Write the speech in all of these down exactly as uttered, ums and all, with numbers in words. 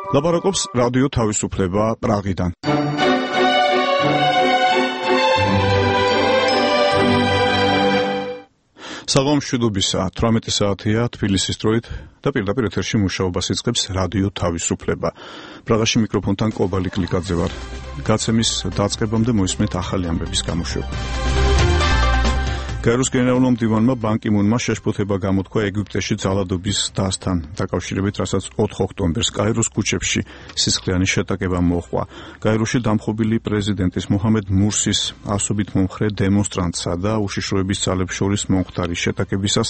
ლაპარაკობს რადიო თავისუფლება პრაღიდან. საღამო მშვიდობისა, თვრამეტი საათია თბილისის დროით და პირდაპირ ეთერში მუშაობას იწყებს რადიო თავისუფლება. პრაღაში მიკროფონთან კობალი კლიკაძე ვარ. გაცემის დაწყებამდე მოისმენთ ახალი ამბების გამოშვება. გაეროს გენერალურმა მდივანმა ბან კი მუნმა შეშფოთება გამოთქვა ეგვიპტეში ძალადობის დასთან დაკავშირებით, რასაც ოთხ ოქტომბერს გაეროს ქუჩებში სისხლიანი შეტაკება მოჰყვა. გაეროში დამხობილი პრეზიდენტის მოჰამედ მურსის ასობით მომხრე დემონსტრანტსა და უშიშროების ძალებს შორის მომხდარი შეტაკებისას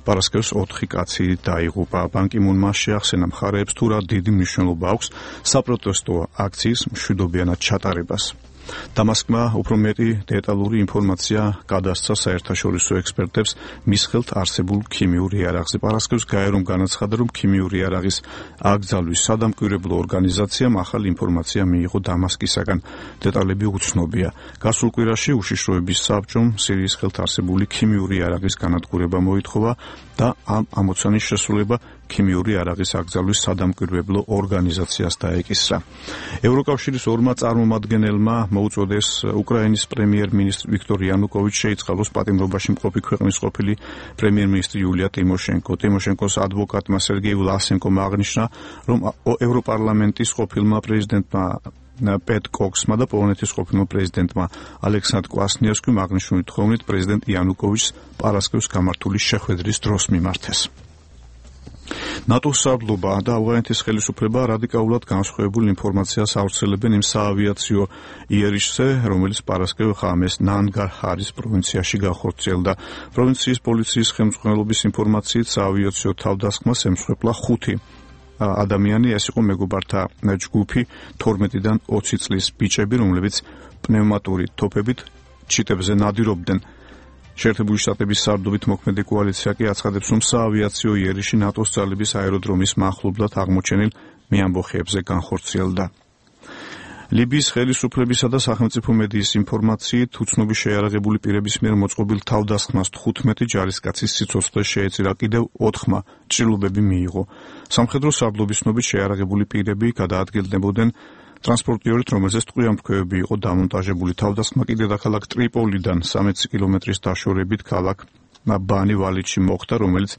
პარასკევს ოთხი კაცი დაიღუპა. ბან კი მუნმა შეახსენა მხარეებს თუ რა დიდი მნიშვნელობა აქვს საპროტესტო აქციის მშვიდობიანად ჩატარებას. დამასკმა უფრო მეტი დეტალური ინფორმაცია გადასცა საერთაშორისო ექსპერტებს მის ხელთ არსებულ ქიმიურ იარაღზე. პარასკევს გაერომ განაცხადა, რომ ქიმიური იარაღის აკრძალვის სადამკვირვებლო ორგანიზაციამ ახალი ინფორმაცია მიიღო დამასკისაგან. დეტალები უცნობია. გასულ კვირაში უშიშროების საბჭომ სირიის ხელთ არსებული ქიმიური იარაღის განადგურება მოითხოვა და ამ ამოცანის შესრულება ქიმიური იარაღის აკრძალვის სადამკვირვებლო ორგანიზაციას დაეკისრა. ევროკავშირის ორმა წარმომადგენელმა მოუწოდეს უკრაინის პრემიერ-მინისტრ ვიქტორ იანუკოვიჩს შეიწყალოს პატიმრობაში მყოფი ქვეყნის ყოფილი პრემიერ-მინისტრი იულია ტიმოშენკო. ტიმოშენკოს ადვოკატმა სერგეი ვლასენკომ აღნიშნა, რომ ევროპარლამენტის ყოფილმა პრეზიდენტმა პეტ კოქსმა და პოლონეთის ყოფილმა პრეზიდენტმა ალექსანდრ კვასნიევსკიმ აღნიშნული თხოვნით პრეზიდენტ იანუკოვიჩს პარასკევს გამართული შეხვედრის დროს მიმართეს. ნატოს სარდლობა და ავღანეთის ხელისუფლება რადიკალურად განსხვავებულ ინფორმაციას ავრცელებენ იმ საავიაციო იერიშზე, რომელიც პარასკევ ღამეს ნანგარჰარის პროვინციაში განხორციელდა. პროვინციის პოლიციის ხელმძღვანელობის ინფორმაციით საავიაციო თავდასხმას ემსხვერპლა ხუთი ადამიანი, ეს იყო მეგობართა ჯგუფი თორმეტიდან ოცი წლის ბიჭები, რომლებიც პნევმატური თოფებით ჩიტებზე ნადირობდნენ. შეერთებული შტატების სარდლობით მოქმედი კოალიცია კი აცხადებს, რომ საავიაციო იერიში ნატოს ძალების აეროდრომის მახლობლად აღმოჩენილ მეამბოხეებზე განხორციელდა. ლიბიის ხელისუფლებისა და სახელმწიფო მედიის ინფორმაციით უცნობი შეიარაღებული პირების მიერ მოწყობილ თავდასხმას თხუთმეტი ჯარისკაცის სიცოცხლე შეეწირა, კიდევ ოთხმა ჭრილობები მიიღო. სამხედრო სარდლობის ცნობით შეიარაღებული პირები გადაადგილდებოდნენ ტრანსპორტიორით, რომელზეც ტყვიამფრქვევები იყო დამონტაჟებული. თავდასხმა კიდე დაქალაქ ტრიპოლიდან სამეცი კილომეტრის დაშორებით ქალაქ ბანი ვალიდში მოხდა, რომელიც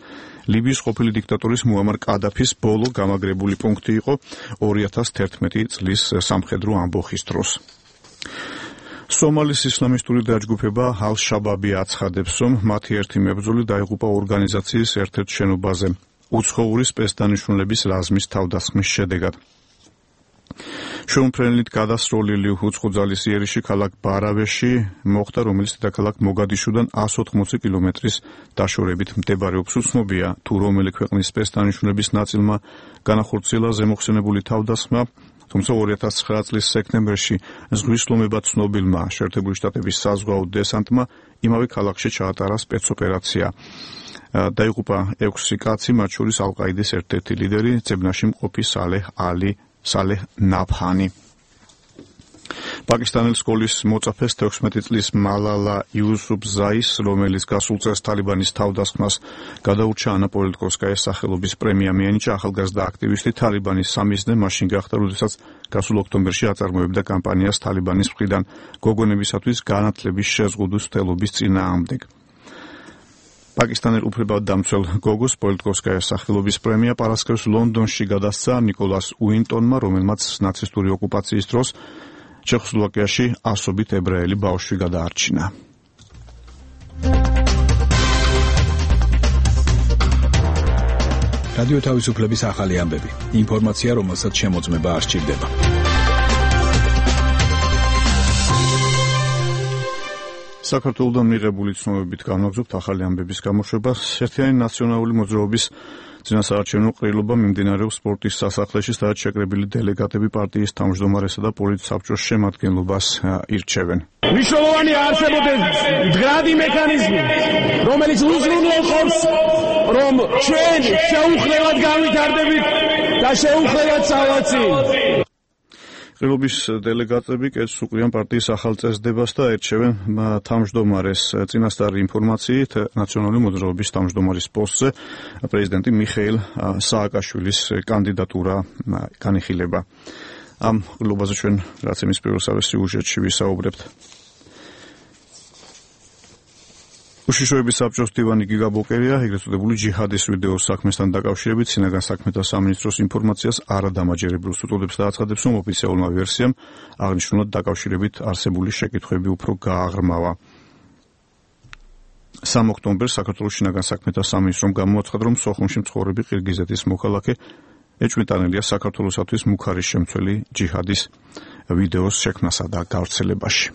ლიბიის ყოფილი დიქტატორის მუამარ კადაფის ბოლო გამაგრებული პუნქტი იყო ორი ათას თერთმეტი წლის სამხედრო ამბოხის დროს. სომალის ისლამისტური დაჯგუფება ალ-შაბაბი აცხადებს, რომ მათი ერთი მებრძოლი დაიღუპა ორგანიზაციის ერთ-ერთ შენობაზე უცხოური სპეცდანიშნულების რაზმის თავდასხმის შედეგად. შეუმფრენლით გადასროლილი უცხოძალის იერიში ქალაქ ბარავეში მოხდა, რომელიც დედაქალაქ მოგადიშუდან ასი ოცდაოთხ კილომეტრის დაშორებით მდებარეობს. უცნობია თუ რომელი ქვეყნის სპეცდანიშნულების ნაწილმა განახორციელა ზემოხსენებული თავდასხმა, თუმცა ორი ათას ცხრა წლის სექტემბერში ზღვის ლომება ცნობილმა შეერთებული შტატების საზღვაო დესანტმა იმავე ქალაქში ჩაატარა სპეცოპერაცია. დაიღუპა ექვსი კაცი, მათ შორის ალ-ყაიდის ერთ-ერთი ლიდერი, ძებნაში მყოფი სალეჰ ალი სალეჰ ნაფჰანი. პაკისტანელი სკოლის მოწაფეს თექვსმეტი წლის მალალა იუსუფზაის, რომელიც გასულ წელს თალიბანის თავდასხმას გადაურჩა ანა პოლიტკოვსკაიას სახელობის პრემია მიანიჭა. ახალგაზრდა აქტივისტი თალიბანის სამიზნე მაშინ გახდა, როდესაც გასულ ოქტომბერში აწარმოებდა კამპანიას თალიბანის მხრიდან გოგონებისათვის განათლების შეზღუდვის მცდელობის წინააღმდეგ. პაკისტანელ უფლებადამცველ გოგოს პოლიტკოვსკაიას სახელობის პრემია პარასკევს ლონდონში გადასცა ნიკოლას უინტონმა, რომელმაც ნაცისტური ოკუპაციის დროს ჩეხოსლოვაკიაში ასობით ებრაელი ბავშვი გადაარჩინა. რადიო თავისუფლების ახალი ამბები. ინფორმაცია, რომელსაც შემოწმება არ სჭირდება. საქართველოდან მიღებული ცნობებით განვაგრძობთ ახალი ამბების გამოშვებას. ერთიანი ნაციონალური მოძრაობის წინასაარჩევნო ყრილობა მიმდინარეობს სპორტის სასახლეში, სადაც შეკრებილი დელეგატები პარტიის თავმჯდომარესა და პოლიტსაბჭოს შემადგენლობას ირჩევენ. მნიშვნელოვანი არსებობდეს მდგრადი მექანიზმი, რომელიც უზრუნველყოფს, რომ ჩვენ შეუხლებლად გავითარდებით და შეუხლებლად სავაცი. ყრილობის დელეგატები კეთს უყრიან პარტიის ახალ წესდებას და ერჩევენ თავმჯდომარეს. წინასწარი ინფორმაციით ნაციონალური მოძრაობის თავმჯდომარის პოსტზე პრეზიდენტი მიხეილ სააკაშვილის კანდიდატურა განიხილება. ამ ყრილობაზე ჩვენ რაც იმის პირველსავე სიუჟეტში ვისაუბრებთ. უშიშროების საბჭოს მდივანი გიგა ბოკერია ეგრეთ წოდებული ჯიჰადის ვიდეოს საქმესთან დაკავშირებით სინაგან საქმეთა სამინისტროს ინფორმაციას არადამაჯერებელს უწოდებს და აცხადებს, რომ ოფიციალურმა ვერსიამ აღნიშნულად დაკავშირებით არსებული შეკითხვები უფრო გააღრმავა. სამი ოქტომბერს საქართველოს შინაგან საქმეთა სამინისტრომ გამოაცხადა, რომ სოხუმში მცხოვრები ყირგიზეთის მოქალაქე ეჭვმიტანილია საქართველოსათვის მუქარის შემცველი ჯიჰადის ვიდეოს შექმნასა და გავრცელებაში.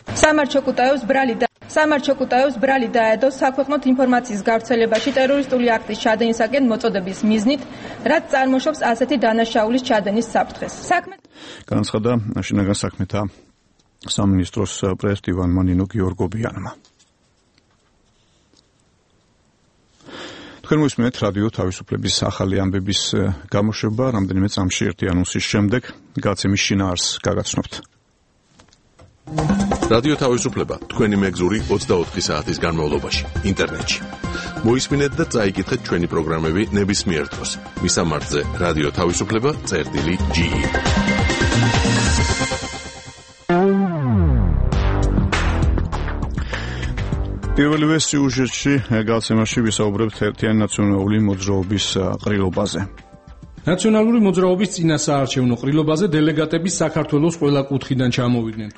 სამარჩო კუტაევს ბრალი და სამარჩო კუტაევს ბრალი დაედო საქვეყნოთ ინფორმაციის გავრცელებაში ტერორისტული აქტის ჩადენისაკენ მოწოდების მიზნით, რაც წარმოშობს ასეთი დანაშაულის ჩადენის საფრთხეს. საქმე განაცხადა შინაგან საქმეთა სამინისტროს პრეზიდენტმა ნინო გიორგობიანმა. თქვენ მოსმენთ რადიო თავისუფლების ახალი ამბების გამოშვება, რამდენიმე წამში ერთი ანონსის შემდეგ გაცემის შინაარსს გაგაცნობთ. რადიო თავისუფლება თქვენი მეგზური ოცდაოთხი საათის განმავლობაში ინტერნეტში. მოისმინეთ და წაიკითხეთ ჩვენი პროგრამები ნებისმიერ დროს. მისამართზე რადიო თავისუფლება წერტილი ჯი ი. პირველივე სიუჟეტში გაცემაში ვისაუბრებთ ერთიანი ნაციონალური მოძრაობის ყრილობაზე. ნაციონალური მოძრაობის წინასაარჩევნო ყრილობაზე დელეგატები საქართველოს ყველა კუთხიდან ჩამოვიდნენ.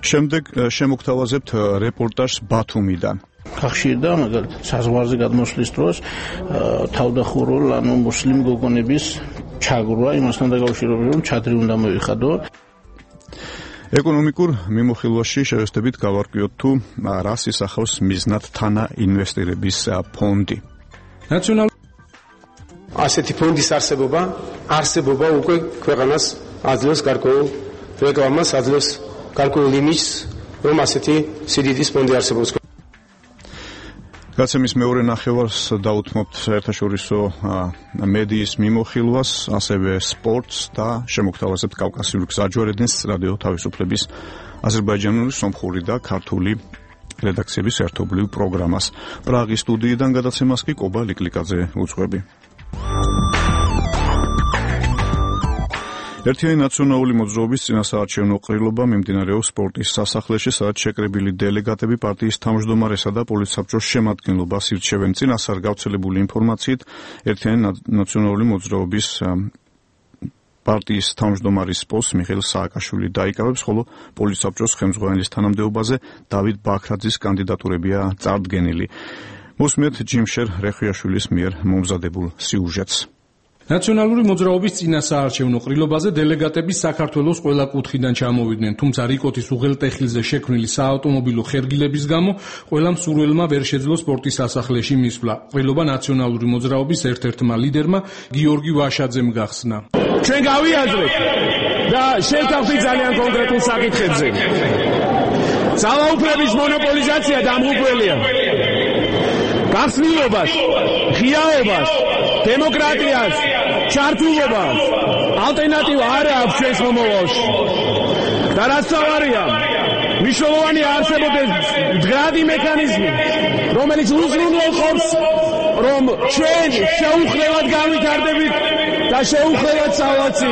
შემდეგ შემოგთავაზებთ რეპორტაჟს ბათუმიდან. ხახშირდა მაგალითად საზღვარზე გადმოსვლის დროს თავდახურულ ანუ მუსლიმ გოგონების ჩაგვრა იმასთან დაკავშირებით, რომ ჩადრი უნდა მოიხადო. ეკონომიკურ მიმოხილვაში შევესწრებით გავარკვიოთ თუ რას ისახავს მიზნად თანა ინვესტირების ფონდი. ნაციონალური ასეთი ფონდის არსებობა არსებობა უკვე ქვეყანას აძლევს გარკვეულ რეკლამას, აძლევს გარკვეულ იმიჯს, რომ ასეთი სიდიდის ფონდი არსებობს. გაცემის მეორე ნახევარს დაუთმობთ საერთაშორისო მედიის მიმოხილვას, ასევე სპორტს და შემოგთავაზებთ კავკასიური გზაჯვარედინს რადიო თავისუფლების აზერბაიჯანული, სომხური და ქართული რედაქციების ერთობლივ პროგრამას. პრაღის სტუდიიდან გადაცემას კი კობა ლიკლიკაძე უძღვები. ერთიანი ნაციონალური მოძრაობის წინასაარჩევნო ყრილობა მიმდინარეობს სპორტის სასახლეში, სადაც შეკრებილი დელეგატები პარტიის თავმჯდომარესა და პოლიტსაბჭოს შემადგენლობას ირჩევენ. წინასწარ გავრცელებული ინფორმაციით ერთიანი ნაციონალური მოძრაობის პარტიის თავმჯდომარის პოსტს მიხეილ სააკაშვილი დაიკავებს, ხოლო პოლიტსაბჭოს ხელმძღვანელის თანამდებობაზე დავით ბაქრაძის კანდიდატურებია წარდგენილი. მოსმენთ ჯიმშერ რეხვიაშვილის მიერ მომზადებულ სიუჟეტს. ნაციონალური მოძრაობის წინასაარჩევნო ყრილობაზე დელეგატები საქართველოს ყველა კუთხიდან ჩამოვიდნენ, თუმცა რიკოთის უღელტეხილზე შექმნილი საავტომობილო ხერგილების გამო ყველა მსურველმა ვერ შეძლო სპორტის სასახლეში მისვლა. ყრილობა ნაციონალური მოძრაობის ერთ-ერთმა ლიდერმა გიორგი ვაშაძემ გახსნა. ჩვენ გავიაზრეთ და შევთავაზეთ ძალიან კონკრეტულ საკითხებზე. ძალაუფლების მონოპოლიზაცია დამღუპველია. გახსნილობას, ღიაობას, დემოკრატიას, ჩართულობას ალტერნატივა არ აქვს ჩვენს მომავალში. და რაც თავარია, მნიშვნელოვანი არსებობდეს მდგრადი მექანიზმი, რომელიც უზრუნველყოფს, რომ ჩვენ შეუხლებლად გავითარდებით და შეუხლებლად სავაცი.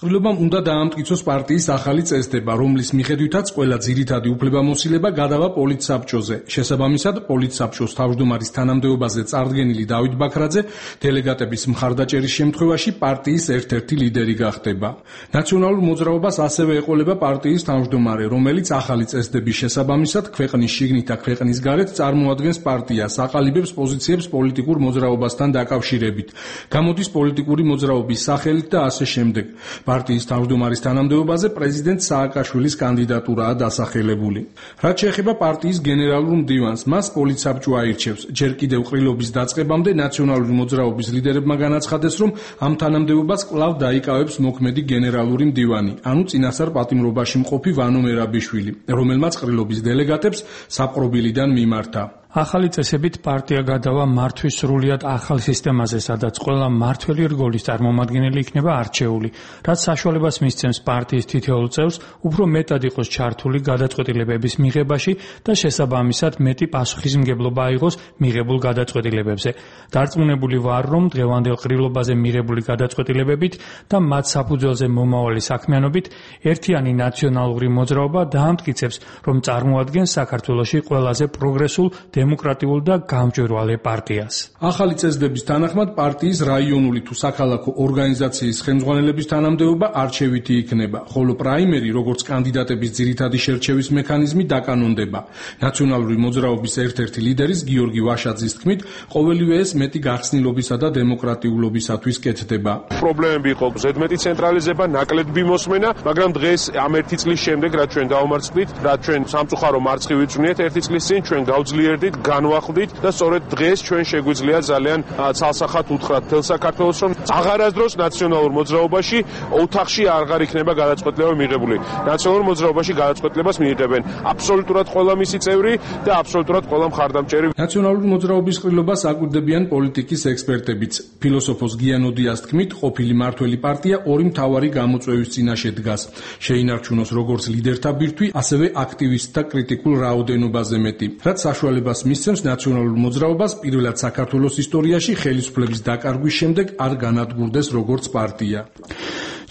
ყრილობამ უნდა დაამტკიცოს პარტიის ახალი წესდება, რომლის მიხედვითაც ყველა ძირითადი უფლებამოსილება გადავა პოლიტსაბჭოზე. შესაბამისად, პოლიტსაბჭოს თავმჯდომარის თანამდებობაზე წარდგენილი დავით ბაქრაძე დელეგატების მხარდაჭერის შემთხვევაში პარტიის ერთ-ერთი ლიდერი გახდება. ნაციონალურ მოძრაობას ასევე ეყოლება პარტიის თავმჯდომარე, რომელიც ახალი წესდების შესაბამისად ქვეყნის შიგნით და ქვეყნის გარეთ წარმოადგენს პარტიას, აყალიბებს პოზიციებს პოლიტიკურ მოძრაობასთან დაკავშირებით. გამოდის პოლიტიკური მოძრაობის სახელით და ასე შემდეგ. პარტიის თავმჯდომარის თანამდებობაზე პრეზიდენტ სააკაშვილის კანდიდატურაა დასახელებული. რაც შეეხება პარტიის გენერალურ მდივანს, მას პოლიტსაბჭო აირჩევს. ჯერ კიდევ ყრილობის დაწყებამდე ნაციონალური მოძრაობის ლიდერებმა განაცხადეს, რომ ამ თანამდებობას კვლავ დაიკავებს მოქმედი გენერალური მდივანი, ანუ წინასწარ პატიმრობაში მყოფი ვანო მერაბიშვილი, რომელმაც ყრილობის დელეგატებს საპყრობილიდან მიმართა. ახალი წესებით პარტია გადავა მართვის სრულიად ახალ სისტემაზე, სადაც ყველა მმართველი რგოლის წარმომადგენელი იქნება არჩეული, რაც საშუალებას მისცემს პარტიის თითოეულ წევრს უფრო მეტად იყოს ჩართული გადაწყვეტილებების მიღებაში და შესაბამისად მეტი პასუხისმგებლობა აიღოს მიღებულ გადაწყვეტილებებზე. დარწმუნებული ვარ, რომ დღევანდელ ყრილობაზე მიღებული გადაწყვეტილებებით და მათ საფუძველზე მომავალი საქმიანობით ერთიანი ნაციონალური მოძრაობა დაამტკიცებს, რომ წარმოადგენს საქართველოში ყველაზე პროგრესულ დემოკრატიულ და გამჭვირვალე პარტიას. ახალი წესდების თანახმად პარტიის რაიონული თუ საქალაქო ორგანიზაციის ხელმძღვანელების თანამდებობა არჩევითი იქნება, ხოლო პრაიმერი, როგორც კანდიდატების ძირითადი შერჩევის მექანიზმი დაკანონდება. ნაციონალური მოძრაობის ერთ-ერთი ლიდერის გიორგი ვაშაძის თქმით, ყოველივე ეს მეტი გახსნილობისა და დემოკრატიულობისათვის კეთდება. პრობლემები იყო ზედმეტი ცენტრალიზება, ნაკლები მოსმენა, მაგრამ დღეს ამ ერთი წლის შემდეგ, რაც ჩვენ დავამარცხდით, რაც ჩვენ სამწუხარო მარცხი ვიწვნიეთ ერთი წლის წინ, ჩვენ გავძლიერდით, განვახლდით და სწორედ დღეს ჩვენ შეგვიძლია ძალიან ცალსახად უთხრათ თელ საქართველოს, რომ აღარასდროს ნაციონალურ მოძრაობაში ოთახში აღარ იქნება გადაწყვეტილება მიღებული. ნაციონალურ მოძრაობაში გადაწყვეტილებას მიიღებენ აბსოლუტურად ყველა მისი წევრი და აბსოლუტურად ყველა მხარდამჭერი. ნაციონალური მოძრაობის ყრილობას აკვირდებიან პოლიტიკის ექსპერტებიც. ფილოსოფოს გიან ოდიას თქმით, ყოფილი მმართველი პარტია ორი მთავარი გამოწვევის წინაშე დგას. შეინარჩუნოს როგორც ლიდერთა ბირთვი, ასევე აქტივისტთა კრიტიკულ რაოდენობაზე მეტი, რაც საშუალებას მისცემს ნაციონალურ მოძრაობას პირველად საქართველოს ისტორიაში ხელისუფლების დაკარგვის შემდეგ არ განადგურდეს როგორც პარტია.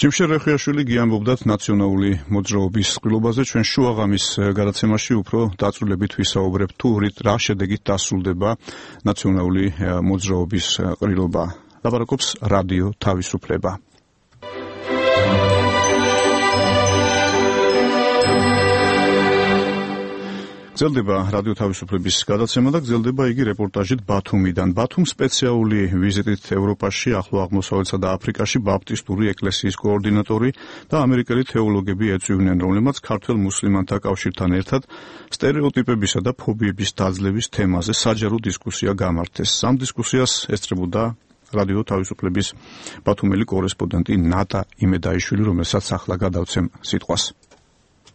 ჯიმშერ რეხიაშვილი გიამბობდათ ნაციონალური მოძრაობის ყრილობაზე. ჩვენ შუაღამის გადაცემაში უფრო დაწვრილებით ვისაუბრებთ თუ რა შედეგით დასრულდება ნაციონალური მოძრაობის ყრილობა. ლაპარაკობს რადიო თავისუფლება. გრძელდება რადიო თავისუფლების გადაცემა და გრძელდება იგი რეპორტაჟით ბათუმიდან. ბათუმ სპეციალური ვიზიტით ევროპაში, ახლო აღმოსავლეთსა და აფრიკაში ბაპტისტური ეკლესიის კოორდინატორი და ამერიკელი თეოლოგები ეწვივნენ, რომლებმაც ქართველ მუსლიმანთა კავშირთან ერთად სტერეოტიპებისა და ფობიების დაძლევის თემაზე საჯარო დისკუსია გამართეს. ამ დისკუსიას ესწრებოდა რადიო თავისუფლების ბათუმელი კორესპონდენტი ნატა იმედაიშვილი, რომელსაც ახლა გადავცემ სიტყვას.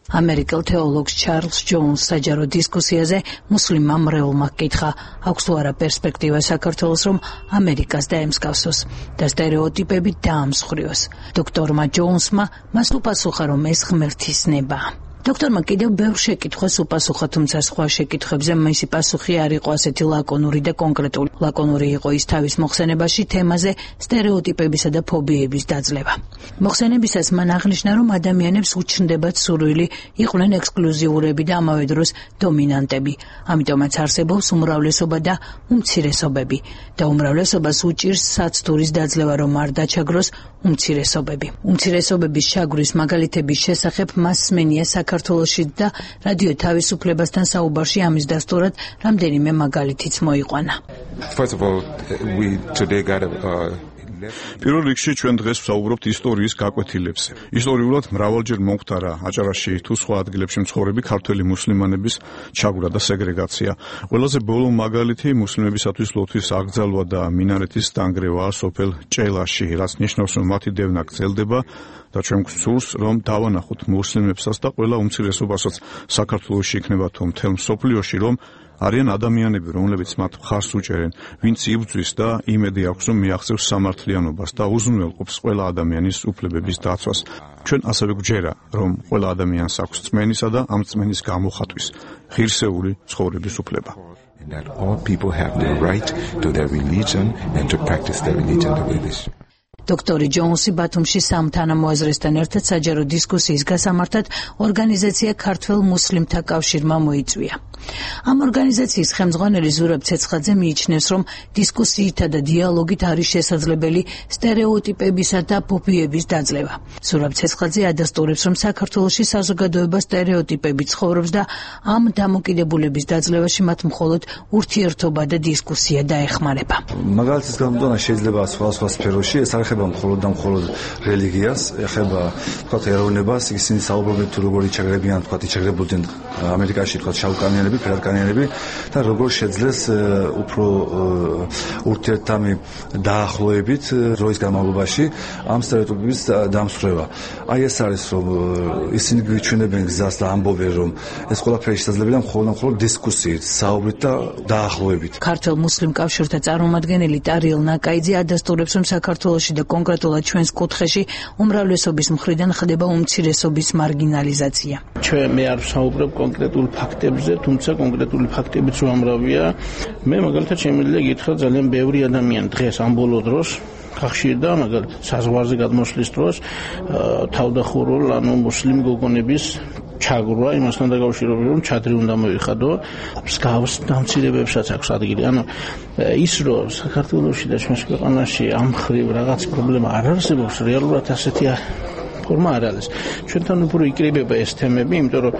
ამერიკელ თეოლოგს ჩარლს ჯოუნს საჯარო დისკუსიაზე მუსლიმმა მრევლმა ჰკითხა, აქვს თუ არა პერსპექტივა საქართველოს, რომ ამერიკას დაემსგავსოს და სტერეოტიპები დაამსხვრიოს. დოქტორმა ჯოუნსმა მას უპასუხა, რომ ეს ღმერთის ნებაა. დოქტორმა კიდევ ბევრ შეკითხვას უპასუხა, თუმცა სხვა შეკითხვებზე მისი პასუხი არ იყო ასეთი ლაკონური და კონკრეტული. ლაკონური იყო ის თავის მოხსენებაში თემაზე სტერეოტიპებისა და ფობიების დაძლევა. მოხსენებისას მან აღნიშნა, რომ ადამიანებს უჩნდებათ სურვილი იყვნენ ექსკლუზიურები და ამავე დროს დომინანტები. ამიტომაც არსებობს უმრავლესობა და უმცირესობები და უმრავლესობას უჭირს საცდურის დაძლევა, რომ არ დაჩაგროს უმცირესობები. უმცირესობების ჩაგვრის მაგალითების შესახებ მას სმენია საქართველოში და რადიო თავისუფლებასთან საუბარში ამის დასტურად რამდენიმე მაგალითიც მოიყვანა. First of all, we today got a uh... პირველ რიგში ჩვენ დღეს ვსაუბრობთ ისტორიის გაკვეთილებზე. ისტორიულად მრავალჯერ მომხდარა აჭარაში თუ სხვა ადგილებში მცხოვრები ქართველი მუსლიმანების ჩაგვრა და სეგრეგაცია. ყველაზე ბოლო მაგალითი მუსლიმებისათვის ლოთვის აკრძალვა და მინარეთის დანგრევაა სოფელ ჭელაში, რაც ნიშნავს, რომ მათი დევნა გრძელდება და ჩვენ გვსურს, რომ დავანახოთ მუსლიმებსაც და ყველა უმცირესობასაც საქართველოში იქნება თუ მთელ მსოფლიოში, რომ არიან ადამიანები, რომლებიც მათ მხარს უჭერენ, ვინც იბრძვის და იმედი აქვს, რომ მიაღწევს სამართლიანობას და უზრუნველყოფს ყველა ადამიანის უფლებების დაცვას. ჩვენ ასევე გვჯერა, რომ ყველა ადამიანს აქვს წმენისა და ამ წმენის გამოხატვის ღირსეული ცხოვრების უფლება. And that all people have the right to their religion and to practice their religion the way they should. დოქტორი ჯოუნსი ბათუმში სამ თანამოაზრესთან ერთად საჯარო დისკუსიის გასამართად ორგანიზაცია ქართველ მუსლიმთა კავშირმა მოიწვია. ამ ორგანიზაციის ხელმძღვანელი ზურაბ ცეცხაძე მიიჩნევს, რომ დისკუსიითა და დიალოგით არის შესაძლებელი სტერეოტიპებისა და ფობიების დაძლევა. ზურაბ ცეცხაძე ადასტურებს, რომ საქართველოში საზოგადოება სტერეოტიპებით ცხოვრობს და ამ დამოკიდებულების დაძლევაში მათ მხოლოდ ურთიერთობა და დისკუსია დაეხმარება. მაგალითის გამოდანა შეიძლება სხვა სხვა სფეროში, ეს არ ეხება მხოლოდ და მხოლოდ რელიგიას, ეხება თქვათ ეროვნებას, ისინი საუბრობენ თუ როგორ იჩაგრებიან, თქვათ იჩაგრებოდნენ ამერიკაში თქვათ შავკანიანები, ფერკანიანები და როგორ შეძლეს უფრო ურთიერთთამი დაახლოებით დროის განმავლობაში ამ სტერეოტიპების დამსხვრევა. აი ეს არის რომ ისინი გვიჩვენებენ გზას და ამბობენ რომ ეს ყველაფერი შესაძლებელია მხოლოდ და მხოლოდ დისკუსიით, საუბრით და დაახლოებით. ქართულ მუსლიმ კავშირთა წარმომადგენელი ტარიელ ნაკაიძე ადასტურებს რომ საქართველოში და კონკრეტულად ჩვენს კუთხეში უმრავლესობის მხრიდან ხდება უმცირესობის მარგინალიზაცია. ჩვენ მე არ ვსაუბრებ კონკრეტულ ფაქტებზე, თუმცა კონკრეტული ფაქტებიც უამრავია. მე მაგალითად შემიძლია გითხრა ძალიან ბევრი ადამიანი დღეს ამ ბოლო დროს ხახშიდა, მაგალითად საზღვარზე გადმოსვლის დროს თავდახურულ ანუ მუსლიმ გოგონების ჩაგვრა იმასთან დაკავშირებით რომ ჩადრი უნდა მოიხადო, მსგავს დამცირებებსაც აქვს ადგილი. ანუ ის რომ საქართველოში და ჩვენს ქვეყანაში ამ ხრივ რაღაც პრობლემა არ არსებობს, რეალურად ასეთი ფორმა არ არის. ჩვენთან უფრო იკრიბება ეს თემები, იმიტომ რომ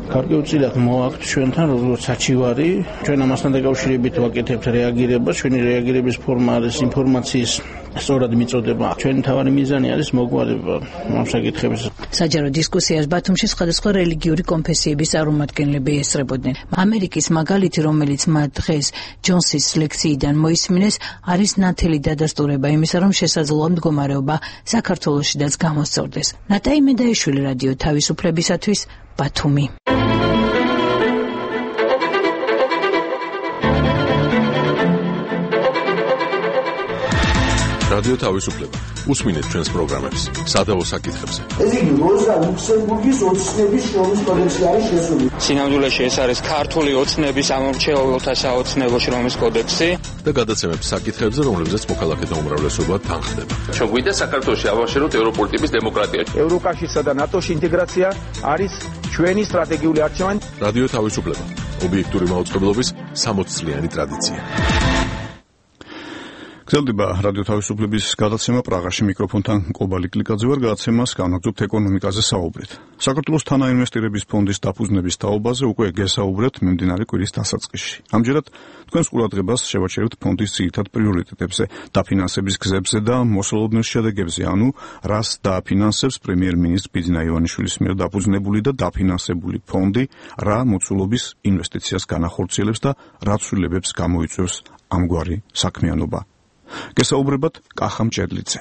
გარკვეულწილად მოაქვთ ჩვენთან როგორც საჩივარი, ჩვენ ამასთან დაკავშირებით ვაკეთებთ რეაგირებას, ჩვენი რეაგირების ფორმა არის ინფორმაციის სწორად მიწოდება. ჩვენი მთავარი მიზანი არის მოგვარება ამ საკითხების. საჯარო დისკუსიას ბათუმში სხვადასხვა რელიგიური კონფესიების წარმომადგენლები ესწრებოდნენ. ამერიკის მაგალითი, რომელიც მათ დღეს ჯონსის ლექციიდან მოისმინეს, არის ნათელი დადასტურება იმისა, რომ შესაძლოა მდგომარეობა საქართველოშიც გამოსწორდეს. ნატაი მედაიშვილი, რადიო თავისუფლებისათვის, ბათუმი. რადიო თავისუფლება. უსმინეთ ჩვენს პროგრამებს სადავო საკითხებზე. ეს იგი როზა ლუქსემბურგის ოცნების შრომის კოდექსი არის შესული. სინამდვილეში ეს არის ქართული ოცნების ამორჩეულთა საოცნებო შრომის კოდექსი და გადაცემებს საკითხებზე, რომლებზეც მოქალაქეთა უმრავლესობა თანხდება. ჩვენ გვინდა საქართველოში ავაშენოთ ევროპული ტიპის დემოკრატია. ევროკავშირსა და ნატოში ინტეგრაცია არის ჩვენი სტრატეგიული არჩევანი. რადიო თავისუფლება. ობიექტური მაუწყებლობის სამოც წლიანი ტრადიცია. გრძელდება რადიო თავისუფლების გადაცემა პრაღაში, მიკროფონთან კობალი კლიკაძე ვარ. გადაცემას განაგრძობთ ეკონომიკაზე საუბრით. საქართველოს თანაინვესტირების ფონდის დაფუძნების თაობაზე უკვე გესაუბრეთ მიმდინარე კვირის დასაწყისში. ამჯერად თქვენს ყურადღებას შევაჩერებთ ფონდის ძირითად პრიორიტეტებზე, დაფინანსების გზებზე და მოსალოდნელ შედეგებზე, ანუ რას დააფინანსებს პრემიერ-მინისტრ ბიძინა ივანიშვილის მიერ დაფუძნებული და დაფინანსებული ფონდი, რა მოცულობის ინვესტიციას განახორციელებს და რა ცვლილებებს გამოიწვევს ამგვარი საქმიანობა. გესაუბრებათ კახა მჭედლიძე.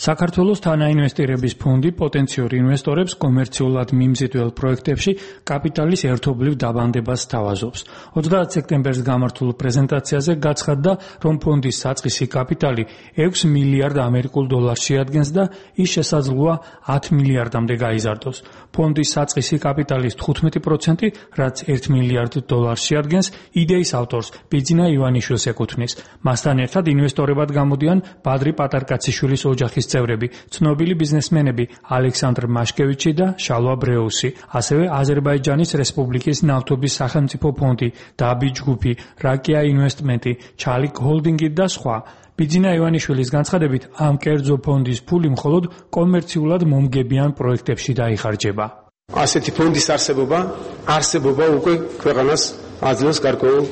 საქართველოს თანაინვესტირების ფონდი პოტენციურ ინვესტორებს კომერციულად მიმზიდველ პროექტებში კაპიტალის ერთობლივ დაბანდებას სთავაზობს. ოცდაათ სექტემბერს გამართულ პრეზენტაციაზე გაცხადდა, რომ ფონდის საწყისი კაპიტალი ექვს მილიარდ ამერიკულ დოლარს შეადგენს და ის შესაძლოა ათ მილიარდამდე გაიზარდოს. ფონდის საწყისი კაპიტალის თხუთმეტი პროცენტი, რაც ერთ მილიარდ დოლარს შეადგენს, იდეის ავტორს ბიძინა ივანიშვილს ეკუთვნის. მასთან ერთად ინვესტორებად გამოდიან ბადრი პატარკაციშვილის ოჯახის წევრები, ცნობილი ბიზნესმენები ალექსანდრ მაშკევიჩი და შალვა ბრეუსი, ასევე აზერბაიჯანის რესპუბლიკის ნავთობის სახელმწიფო ფონდი, დაბი ჯგუფი, რაკია ინვესტმენტი, ჩალიკ ჰოლდინგი და სხვა. ბიძინა ივანიშვილის განცხადებით, ამ კერძო ფონდის ფული მხოლოდ კომერციულად მომგებიან პროექტებში დაიხარჯება. ასეთი ფონდის არსებობა, არსებობა უკვე ქვეყანას აძლევს გარკვეულ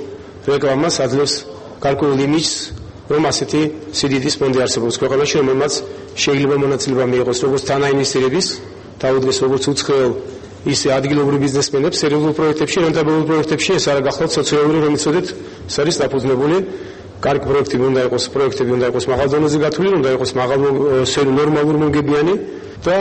რეკლამას, აძლევს გარკვეულ იმიჯს, რომ ასეთი სიდიდის ფონდი არსებობს ქვეყანაში, რომელმაც შეიძლება მონაწილეობა მიიღოს როგორც თანაინვესტირების, თავდადიდეს როგორც უცხოელ, ისე ადგილობრივ ბიზნესმენებს სერიოზულ პროექტებში, რენტაბელურ პროექტებში, ეს არა გახლავთ სოციალური, რომელიც ოდეთ ეს არის დაფუძნებული. კარგი პროექტები უნდა იყოს, პროექტები უნდა იყოს მაღალ დონეზე გათვლილი, უნდა იყოს მაღალ ნორმალურ მომგებიანი და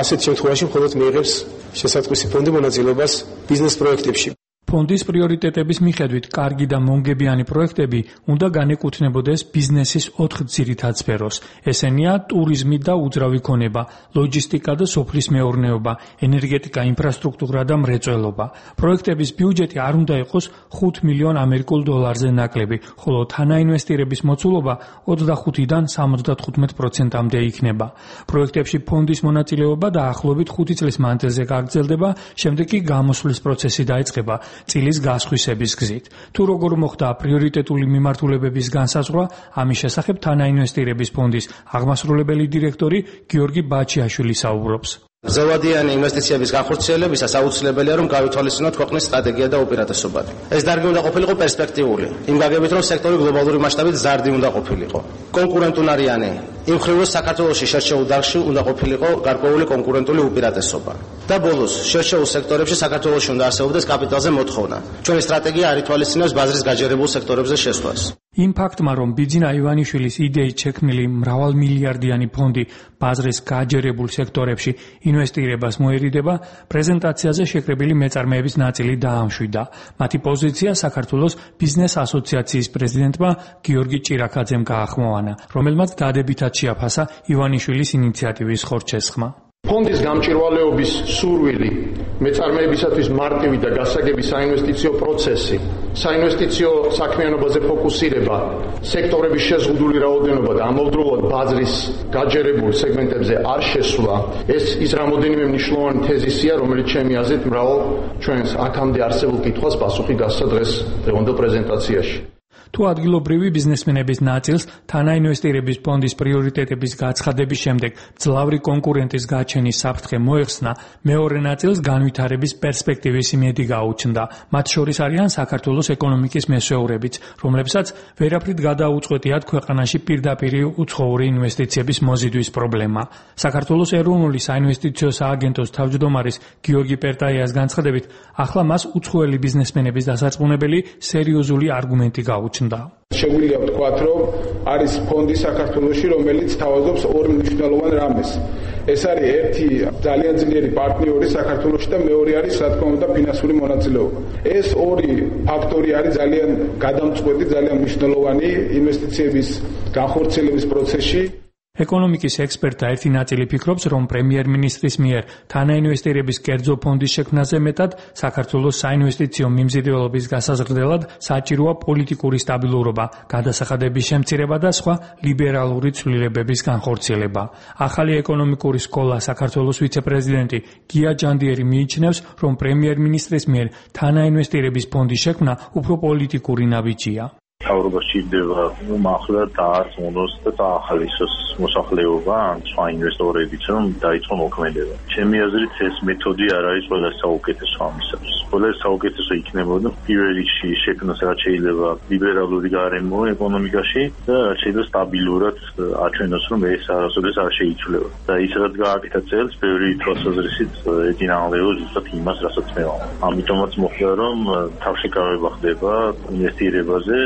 ასეთ შემთხვევაში მხოლოდ მიიღებს შესაძლისი ფონდი მონაწილეობას ბიზნეს პროექტებში. ფონდის პრიორიტეტების მიხედვით კარგი და მომგებიანი პროექტები უნდა განეკუთვნებოდეს ბიზნესის ოთხ ძირითად სფეროს. ესენია ტურიზმი და უძრავი ქონება, ლოჯისტიკა და სოფლის მეურნეობა, ენერგეტიკა, ინფრასტრუქტურა და მრეწველობა. პროექტების ბიუჯეტი არ უნდა იყოს ხუთ მილიონ ამერიკულ დოლარზე ნაკლები, ხოლო თანაინვესტირების მოცულობა ოცდახუთიდან სამოცდათხუთმეტ პროცენტამდე იქნება. პროექტებში ფონდის მონაწილეობა დაახლოებით ხუთი წლის მანძილზე გაგრძელდება, შემდეგ კი გამოსვლის პროცესი დაიწყება წილის გასხვისების გზით. თუ როგორ მოხდა პრიორიტეტული მიმართულებების განსაზღვრა, ამის შესახებ თანაინვესტირების ფონდის აღმასრულებელი დირექტორი გიორგი ბაჩიაშვილი საუბრობს. ზევადიანი ინვესტიციების განხორციელებისას აუცილებელია რომ გავითვალისწინოთ ქვეყნის სტრატეგია და უპირატესობანი. ეს დარგი უნდა ყოფილიყო პერსპექტიული, იმ გაგებით რომ სექტორი გლობალური მასშტაბით ზარდი უნდა ყოფილიყო. კონკურენტუნარიანი, იმ მხრივ რომ საქართველოში შერჩეულ დარგში უნდა ყოფილიყო გარკვეული კონკურენტული უპირატესობა. და ბოლოს, შერჩეულ სექტორებში საქართველოში უნდა არსებობდეს კაპიტალზე მოთხოვნა. ჩვენი სტრატეგია არ ითვალისწინებს ბაზრის გაჯერებულ სექტორებზე შესვლას. იმ ფაქტმა, რომ ბიძინა ივანიშვილის იდეით შექმნილი მრავალმილიარდიანი ფონდი ბაზრის გაჯერებულ სექტორებში ინვესტირებას მოერიდება, პრეზენტაციაზე შეკრებილი მეწარმეების ნაწილი დაამშვიდა. მათი პოზიცია საქართველოს ბიზნეს ასოციაციის პრეზიდენტმა გიორგი ჭირაქაძემ გაახმოვანა, რომელმაც დადებითად შეაფასა ივანიშვილის ინიციატივის ხორჩესხმა. ფონდის გამჭირვალეობის სურვილი, მეწარმეებისათვის მარტივი და გასაგები საინვესტიციო პროცესი, საინვესტიციო საქმიანობაზე ფოკუსირება, სექტორების შეზღუდული რაოდენობა და ამავდროულად ბაზრის გაჯერებულ სეგმენტებზე არ შესვლა, ეს ის რამოდენიმე მნიშვნელოვანი თეზისია, რომელიც ჩემი აზრით მრავალ ჩვენს აქამდე არსებულ კითხვას პასუხი გასცა დღეს დღევანდელ პრეზენტაციაში. თუ ადგილობრივი ბიზნესმენების ნაწილს თანაინვესტირების ფონდის პრიორიტეტების გაცხადების შემდეგ ძლავრი კონკურენტის გაჩენის საფრთხე მოეხსნა, მეორე ნაწილს განვითარების პერსპექტივის იმედი გაუჩნდა. მათ შორის არიან საქართველოს ეკონომიკის მესვეურებიც, რომლებსაც ვერაფრით გადაუწყვეტიათ ქვეყანაში პირდაპირი უცხოური ინვესტიციების მოზიდვის პრობლემა. საქართველოს ეროვნული საინვესტიციო სააგენტოს თავმჯდომარის გიორგი პერტაიას განცხადებით, ახლა მას უცხოელი ბიზნესმენების დასარწმუნებელი სერიოზული არგუმენტი გაუჩნდა. შეგვიძლია ვთქვათ, რომ არის ფონდი საქართველოში, რომელიც თავაზობს ორ მნიშვნელოვან რამეს. ეს არის ერთი ძალიან ძლიერი პარტნიორი საქართველოში და მეორე არის, რა თქმა უნდა, ფინანსური მონაწილეობა. ეს ორი ფაქტორი არის ძალიან გადამწყვეტი, ძალიან მნიშვნელოვანი ინვესტიციების განხორციელების პროცესში. ეკონომიკის ექსპერტთა ერთი ნაწილი ფიქრობს, რომ პრემიერ-მინისტრის მიერ თანაინვესტირების კერძო ფონდის შექმნაზე მეტად საქართველოს საინვესტიციო მიმზიდველობის გასაზრდელად საჭიროა პოლიტიკური სტაბილურობა, გადასახადების შემცირება და სხვა ლიბერალური ცვლილებების განხორციელება. ახალი ეკონომიკური სკოლა საქართველოს ვიცე-პრეზიდენტი გია ჯანდიერი მიიჩნევს, რომ პრემიერ-მინისტრის მიერ თანაინვესტირების ფონდის შექმნა უფრო პოლიტიკური ნაბიჯია. თავრობა სჭირდება ახლა დაარწმუნოს და დაახალისოს მოსახლეობა ან სხვა ინვესტორებიც, რომ დაიწყო მოქმედება. ჩემი აზრით ეს მეთოდი არ არის ყველა საუკეთესო ამისათვის. ყველა საუკეთესო იქნებოდა პირველ რიგში შექმნას რაც შეიძლება ლიბერალური გარემო ეკონომიკაში და რაც შეიძლება სტაბილურად აჩვენოს, რომ ეს არასოდეს არ შეიცვლება. და ის რაც გააკეთა წელს, ბევრი თვალსაზრისით ეწინააღმდეგება ზუსტად იმას, რასაც მე ვამბობ. ამიტომაც მოხდა, რომ თავშეკავება ხდება ინვესტირებაზე.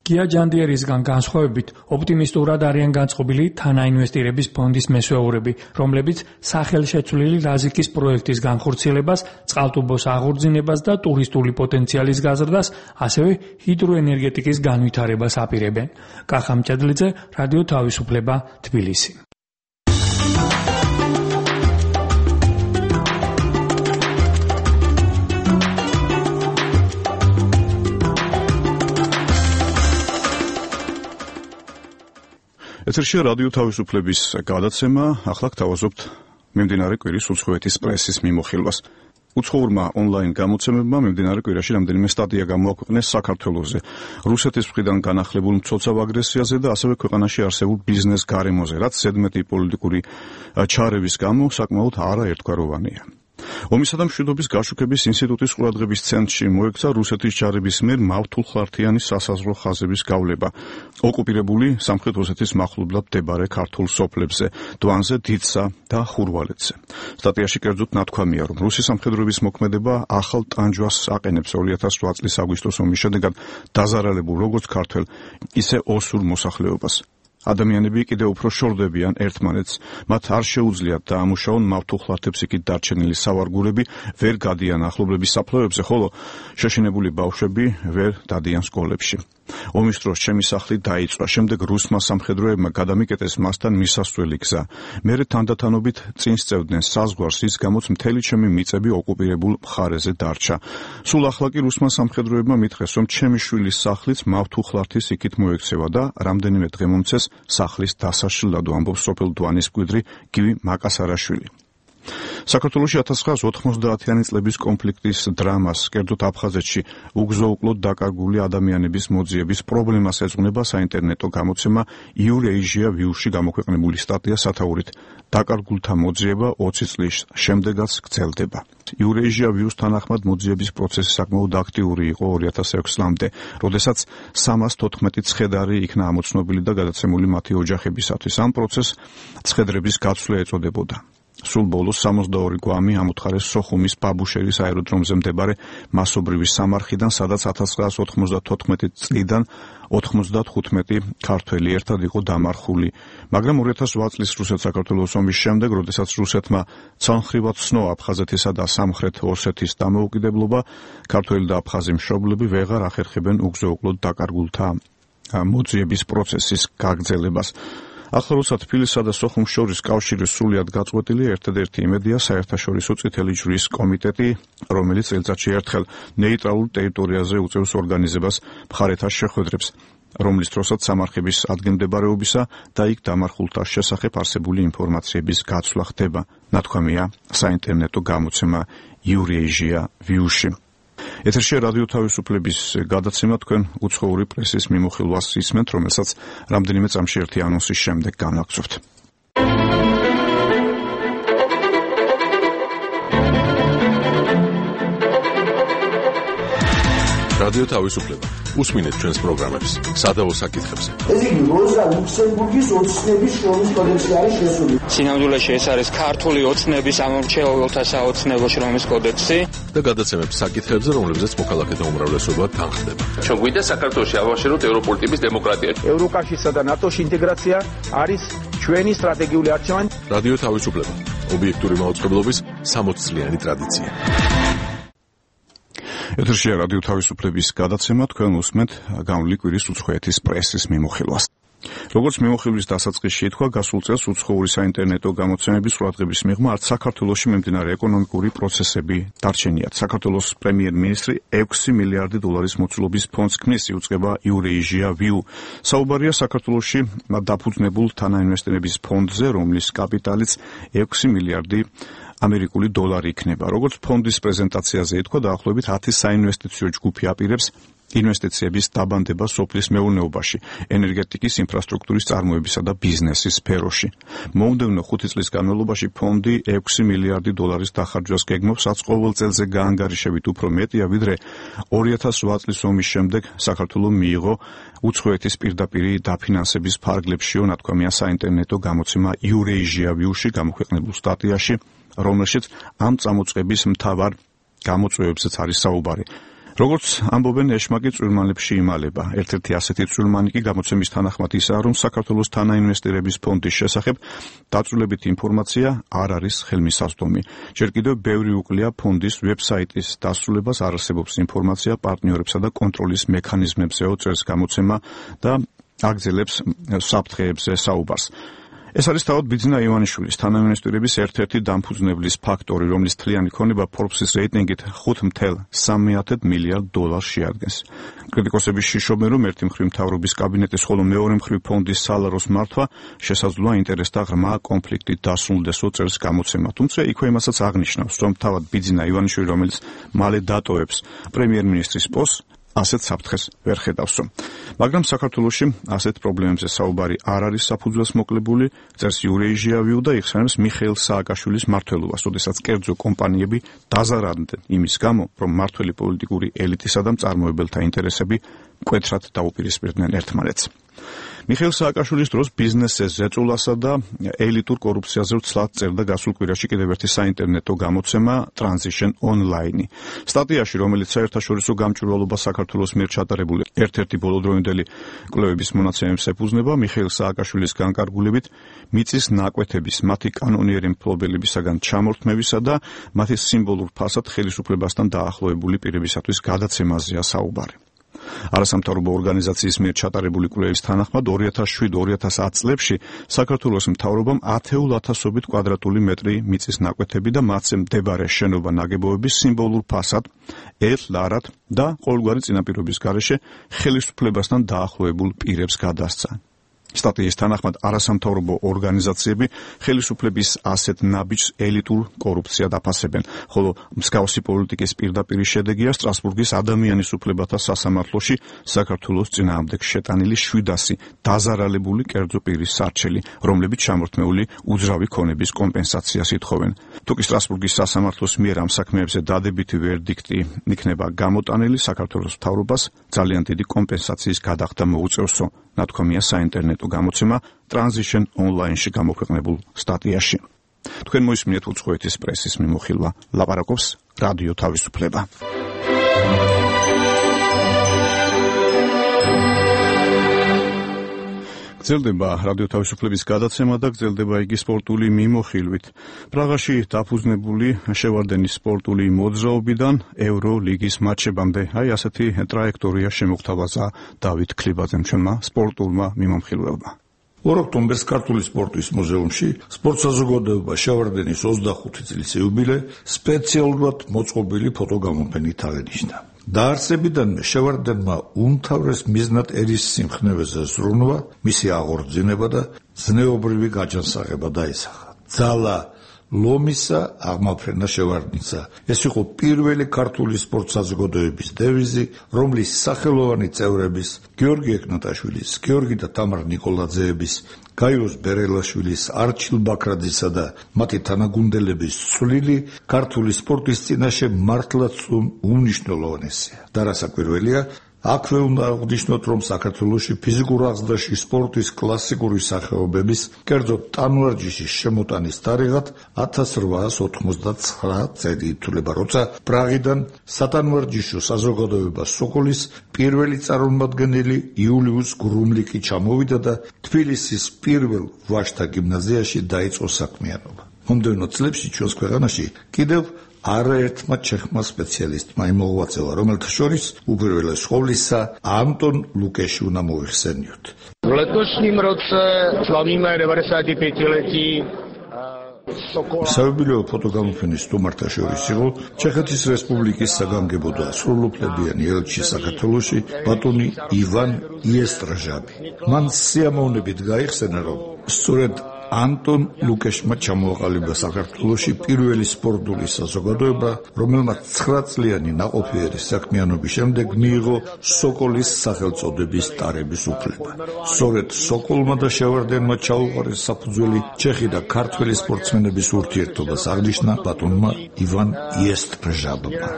გია ჯანდიერისგან განსხვავებით, ოპტიმისტურად არიან განწყობილი თანაინვესტირების ფონდის მესვეურები, რომლებიც სახელშეცვლილი რაზიკის პროექტის განხორციელებას, წყალტუბოს აღორძინებას და ტურისტული პოტენციალის გაზრდას, ასევე ჰიდროენერგეტიკის განვითარებას აპირებენ. კახა მჭედლიძე, რადიო თავისუფლება, თბილისი. ეთერშია რადიო თავისუფლების გადაცემა, ახლა გთავაზობთ მიმდინარე კვირის უცხოეთის პრესის მიმოხილვას. უცხოურმა ონლაინ გამოცემებმა მიმდინარე კვირაში რამდენიმე სტატია გამოაქვეყნეს საქართველოზე, რუსეთის მხრიდან განახლებულ მცოცავ აგრესიაზე და ასევე ქვეყანაში არსებულ ბიზნეს გარემოზე, რაც ზედმეტი პოლიტიკური ჩარევის გამო საკმაოდ არაერთგვაროვანია. ომისა და მშვიდობის გაშუქების ინსტიტუტის ყურადღების ცენტრში მოექცა რუსეთის ჯარების მიერ მავთულხლართიანი სასაზღვრო ხაზების გავლება ოკუპირებული სამხრეთ ოსეთის მახლობლად მდებარე ქართულ სოფლებზე, დვანზე, დიდსა და ხურვალეთზე. სტატიაში კერძოდ ნათქვამია, რომ რუსი სამხედროების მოქმედება ახალ ტანჯვას აყენებს ორი ათას ოთხ წლის აგვისტოს ომის შედეგად დაზარალებულ როგორც ქართველ, ისე ოსურ მოსახლეობას. ადამიანები კიდევ უფრო შორდებიან ერთმანეთს, მათ არ შეუძლიათ დაამუშაონ მავთულხლართებს იქით დარჩენილი სავარგულები, ვერ გადიან ახლობლების საფლავებზე, ხოლო შეშინებული ბავშვები ვერ დადიან სკოლებში. ომის დროს ჩემი სახლი დაიწვა, შემდეგ რუსმა სამხედროებმა გადამიკეტეს მასთან მისასვლელი გზა. მერე თანდათანობით წინ სწევდნენ საზღვარს, რის გამოც მთელი ჩემი მიწები ოკუპირებულ მხარეზე დარჩა. სულ ახლა კი რუსმა სამხედროებმა მითხრეს, რომ ჩემი შვილის სახლიც მავთულხლართის იქით მოექცევა და რამდენიმე დღე მომცეს სახლის დასაშლელად, ამბობს სოფელ დვანის მკვიდრი გივი მაკასარაშვილი. საქართველოში ათას ცხრაასი ოთხმოცდაათიანი წლების კონფლიქტის დრამას, კერძოდ აფხაზეთში უგზო-უკლოდ დაკარგული ადამიანების მოძიების პრობლემას ეძღვნება საინტერნეტო გამოცემა Eurasia View-ში გამოქვეყნებული სტატია სათაურით „დაკარგულთა მოძიება ოცი წლის შემდეგაც გრძელდება“. Eurasia View-ს თანახმად მოძიების პროცესი საკმაოდ აქტიური იყო ორი ათას ექვსი წლამდე, როდესაც სამას თოთხმეტი ცხედარი იქნა ამოცნობილი და გადაცემული მათი ოჯახებისათვის. ამ პროცესს ცხედრების გაცვლა ეწოდებოდა. სულ ბოლოს სამოცდაორი გვამი ამოთხარეს სოხუმის ბაბუშერის აეროდრომზე მდებარე მასობრივი სამარხიდან, სადაც ათას ცხრაასი ოთხმოცდათოთხმეტი წლიდან ოთხმოცდათხუთმეტი ქართველი ერთად იყო დამარხული. მაგრამ ორი ათას ოთხ წლის რუსეთ-საქართველოს ომის შემდეგ, როდესაც რუსეთმა ცალმხრივად ცნო აფხაზეთისა და სამხრეთ ოსეთის დამოუკიდებლობა, ქართველი და აფხაზი მშობლები ვეღარ ახერხებენ უგზო-უკლოდ დაკარგულთა მოძიების პროცესის გაგრძელებას. ახლა როცა თბილისსა და სოხუმს შორის კავშირი სრულიად გაწყვეტილი, ერთადერთი იმედია საერთაშორისო წითელი ჯვრის კომიტეტი, რომელიც წელიწადში ერთხელ ნეიტრალურ ტერიტორიაზე უწევს ორგანიზებას მხარეთა შეხვედრებს, რომლის დროსაც სამარხების ადგილმდებარეობისა და იქ დამარხულთა შესახებ არსებული ინფორმაციების გაცვლა ხდება, ნათქვამია საინტერნეტო გამოცემა Eurasia View-ში. ეთერში რადიო თავისუფლების გადაცემა თქვენ უცხოური პრესის მიმოხილვას ისმენთ, რომელსაც რამდენიმე წამში ერთი ანონსის შემდეგ განვაგრძობთ. რადიო თავისუფლება. უსმინეთ ჩვენს პროგრამებს, სადავო საკითხებს. ეს იგი როზა ლუქსემბურგის ოცნების შრომის კოდექსი არის შესული. სინამდვილეში ეს არის ქართული ოცნების ამორჩეულთა საოცნებო შრომის კოდექსი და გადაცემებს საკითხებზე, რომლებზეც მოქალაქეთა უმრავლესობა თანხდება. ჩვენ გვინდა საქართველოში ავაშეროთ ევროპული ტიპის დემოკრატია. ევროკავშირსა და ნატოში ინტეგრაცია არის ჩვენი სტრატეგიული არჩევანი. რადიო თავისუფლება. ობიექტური მაუწყებლობის სამოცი წლიანი ტრადიცია. ეთერშია რადიო თავისუფლების გადაცემა, თქვენ უსმენთ გამვლი კვირის უცხოეთის პრესის მიმოხილვას. როგორც მიმოხილვის დასაწყისში ითქვა, გასულ წელს უცხოური საინტერნეტო გამოცემების ყურადღების მიღმა არც საქართველოში მიმდინარე ეკონომიკური პროცესები დარჩენიათ. საქართველოს პრემიერ-მინისტრი ექვსი მილიარდი დოლარის მოცულობის ფონდს ქმნის, იუწყება Eurasia View. საუბარია საქართველოში დაფუძნებულ თანაინვესტირების ფონდზე, რომლის კაპიტალიც ექვსი მილიარდი ამერიკული დოლარი იქნება. როგორც ფონდის პრეზენტაციაზე ითქვა, დაახლოებით ათი საინვესტიციო ჯგუფი აპირებს ინვესტიციების დაბანდება სოფლის მეურნეობაში, ენერგეტიკის ინფრასტრუქტურის წარმოებისა და ბიზნესის სფეროში. მომდევნო ხუთი წლის განმავლობაში ფონდი ექვსი მილიარდი დოლარის დახარჯვას გეგმავს, რაც ყოველ წელზე გაანგარიშებით უფრო მეტია, ვიდრე ორი ათას ოთხ წლის ომის შემდეგ საქართველოს მიიღო უცხოეთის პირდაპირი დაფინანსების ფარგლებშიო, ნათქვამია საინტერნეტო გამოცემა Eurasia View-ში გამოქვეყნებულ სტატიაში, რომელშიც ამ წამოწყების მთავარ გამოწვევებზეც არის საუბარი. როგორც ამბობენ, ეშმაკი წვრილმანლებში იმალება. ერთ-ერთი ასეთი წვრილმანი კი გამოცემის თანახმად ისაა, რომ საქართველოს თანაინვესტირების ფონდის შესახებ დაწვრილებითი ინფორმაცია არ არის ხელმისაწვდომი. ჯერ კიდევ ბევრი უკლია ფონდის ვებსაიტის დასრულებას, არ არსებობს ინფორმაცია პარტნიორებსა და კონტროლის მექანიზმებზეო, წერს გამოცემა და აგრძელებს საფრთხეებზე საუბარს. ეს არის თავად ბიძინა ივანიშვილის თანაინვესტირების ერთ-ერთი დამფუძნებლის ფაქტორი, რომლის თლიანი ქონება Forbes-ის რეიტინგით ხუთ целых სამი десятых მილიარდ დოლარს შეადგენს. კრიტიკოსები შიშობენ, რომ ერთი მხრივ მთავრობის კაბინეტის, ხოლო მეორე მხრივ ფონდის სალაროს მართვა შესაძლოა ინტერესთა ღრმა კონფლიქტით დასრულდესო, წერს გამოცემა. თუმცა იქვე იმასაც აღნიშნავს, რომ თავად ბიძინა ივანიშვილი, რომელიც მალე დატოვებს პრემიერ-მინისტრის პოსტს, ასეთ საფრთხეს ვერ ხედავსო. მაგრამ საქართველოში ასეთ პრობლემებზე საუბარი არ არის საფუძველს მოკლებული, წერს Eurasia View და იხსენებს მიხეილ სააკაშვილის მმართველობას, როდესაც კერძო კომპანიები დაზარალდნენ იმის გამო, რომ მმართველი პოლიტიკური ელიტისა და მწარმოებელთა ინტერესები მკვეთრად დაუპირისპირდნენ ერთმანეთს. მიხეილ სააკაშვილის დროს ბიზნესზე ზეწოლასა და ელიტურ კორუფციაზე ვცლად წერდა გასულ კვირაში კიდევ ერთი საინტერნეტო გამოცემა Transition Online. სტატიაში, რომელიც საერთაშორისო გამჭვირვალობა საქართველოს მიერ ჩატარებული ერთ-ერთი ბოლოდროინდელი კვლევების მონაცემებს ეფუძნება, მიხეილ სააკაშვილის განკარგულებით მიწის ნაკვეთების, მათი კანონიერი მფლობელებისაგან ჩამორთმევისა და მათი სიმბოლურ ფასად ხელისუფლებასთან დაახლოებული პირებისათვის გადაცემაზეა საუბარი. არასამთავრობო ორგანიზაციის მიერ ჩატარებული კვლევის თანახმად ორი ათას შვიდ ორი ათას ათ წლებში საქართველოს მთავრობამ ათეულ ათასობით კვადრატული მეტრი მიწის ნაკვეთები და მათზე მდებარე შენობა ნაგებობების სიმბოლურ ფასად ელარად და ყოველგვარი წინაპირობის გარეშე ხელისუფლებასთან დაახლოებულ პირებს გადასცა. სტატიის თანახმად არასამთავრობო ორგანიზაციები ხელისუფლების ასეთ ნაბიჯს ელიტურ კორუფციად აფასებენ, ხოლო მსგავსი პოლიტიკის პირდაპირი შედეგია სტრასბურგის ადამიანის უფლებათა სასამართლოში საქართველოს წინააღმდეგ შეტანილი შვიდასი დაზარალებული კერძო პირის სარჩელი, რომლებიც ჩამორთმეული უძრავი ქონების კომპენსაციას ითხოვენ. თუკი სტრასბურგის სასამართლოს მიერ ამ საქმეებზე დადებითი ვერდიქტი იქნება გამოტანილი, საქართველოს მთავრობას ძალიან დიდი კომპენსაციის გადახდა მოუწევსო, ნათქვამია საინტერნეტო გამოცემა Transition Online-ში გამოქვეყნებულ სტატიაში. თქვენ მოისმინეთ უცხოეთის პრესის მიმოხილვა, ლაპარაკობს რადიო თავისუფლება. გრძელდება რადიო თავისუფლების გადაცემა და გრძელდება იგი სპორტული მიმოხილვით. პრაღაში დაფუძნებული შევარდენის სპორტული მოძრაობიდან ევროლიგის მატჩებამდე აი ასეთი ტრაექტორია შემოგთავაზა დავით ქლიბაძემ, ჩვენმა სპორტულმა მიმოხილველმა. ორ ოქტომბერს ქართული სპორტის მუზეუმში სპორტ საზოგადოება შევარდენის ოცდახუთი წლის იუბილე სპეციალურად მოწყობილი ფოტოგამოფენით აღენიშნა. დაარსებიდანვე შევარდენმა უმთავრეს მიზნად ერის სიმხნევეზე ზრუნვა, მისი აღორძინება და ზნეობრივი გაჯანსაღება დაისახა. ძალა ლომისა, აღმაფრენა შევარდნისა. ეს იყო პირველი ქართული სპორტ საზოგადოების დევიზი, რომლის სახელოვანი წევრების გიორგი ეკნატაშვილის, გიორგი და თამარ ნიკოლაძეების, გაიოს ბერელაშვილის, არჩილ ბაქრაძისა და მათი თანაგუნდელების წვლილი ქართული სპორტის წინაშე მართლაც უმნიშვნელოვანესია. და რასაკვირველია, აქვე უნდა აღნიშნოთ, რომ საქართველოში ფიზიკურ აღზრდაში სპორტის კლასიკური სახეობების, კერძოდ ტანვარჯიშის შემოტანის თარიღად ათას რვაას ოთხმოცდაცხრა წელი ითვლება, როცა პრაღიდან სატანვარჯიშო საზოგადოება სოკოლის პირველი წარმომადგენელი იულიუს გრუმლიკი ჩამოვიდა და თბილისის პირველ ვაჟთა გიმნაზიაში დაიწყო საქმიანობა. მომდევნო წლებში ჩვენს ქვეყანაში კიდევ არაერთმა ჩეხმა სპეციალისტმა იმოღვაწევა, რომელთა შორის უპირველეს ყოვლისა Антон Лукеში უნდა მოიხსენიოთ. В летошнем роце славíme девяносто пятилетие საიუბილეო ფოტოგამოფენის სტუმართა შორის იყო ჩეხეთის რესპუბლიკის საგანგებო და სრულუფლებიანი ელჩი საქართველოში ბატონი ივან იესტრაჟაბი. მან სიამოვნებით გაიხსენა, რომ სწორედ Антон Лукешმა ჩამოაყალიბა საქართველოში პირველი სპორტული საზოგადოება, რომელმაც ცხრა წლიანი ნაყოფიერი საქმიანობის შემდეგ მიიღო სოკოლის სახელწოდების ტარების უფლება. სწორედ სოკოლმა და შევარდენმა ჩაუყარეს საფუძველი ჩეხი და ქართველი სპორტსმენების ურთიერთობას აღნიშნა ბატონმა ივან იესტრაჟაბმა.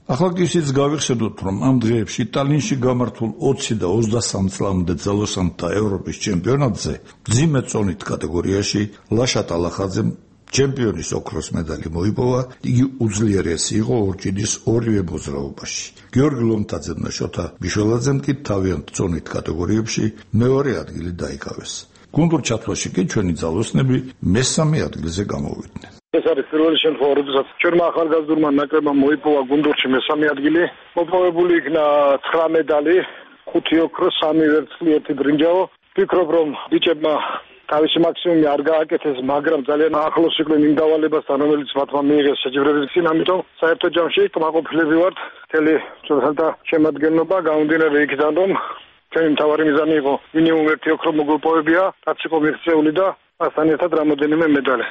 ახლა კი ისიც გავიხსენოთ, რომ ამ დღეებში ტალინში გამართულ ოცი და ოცდასამ წლამდე ძალოსანთა ევროპის ჩემპიონატზე მძიმე წონით კატეგორიაში ლაშა ტალახაძემ ჩემპიონის ოქროს медаლი მოიპოვა, იგი უძლიერესი იყო ორჭიდის ორივე მოძრაობაში. გიორგი ლომთაძემ და შოთა ბიშველაძემ კი თავიანთ წონით კატეგორიებში მეორე ადგილი დაიკავეს. გუნდურ ჩათვლაში კი ჩვენი ძალოსნები მესამე ადგილზე გამოვიდნენ. ეს არის პირველი შემთხვევა, როდესაც ჩვენმა ახალგაზრდულმა ნაკრებმა მოიპოვა გუნდურში მესამე ადგილი. მოპოვებული იქნა ცხრა медаლი, ხუთი ოქრო, სამი ვერცხლი, ერთი ბრინჯაო. ვფიქრობ, რომ ბიჭებმა თავისი მაქსიმუმი არ გააკეთეს, მაგრამ ძალიან ახლოს იყვნენ იმ დავალებასთან, რომელიც მათმა მიიღეს შეჯიბრების წინ, ამიტომ საერთო ჯამში კმაყოფილები ვართ მთელი ჩვენთა შემადგენლობა, გამომდინარე იქიდან, რომ ჩვენი მთავარი მიზანი იყო მინიმუმ ერთი ოქრო მოგულპოვებია, რაც იყო მიღწეული და მასთან ერთად რამოდენიმე медаლი.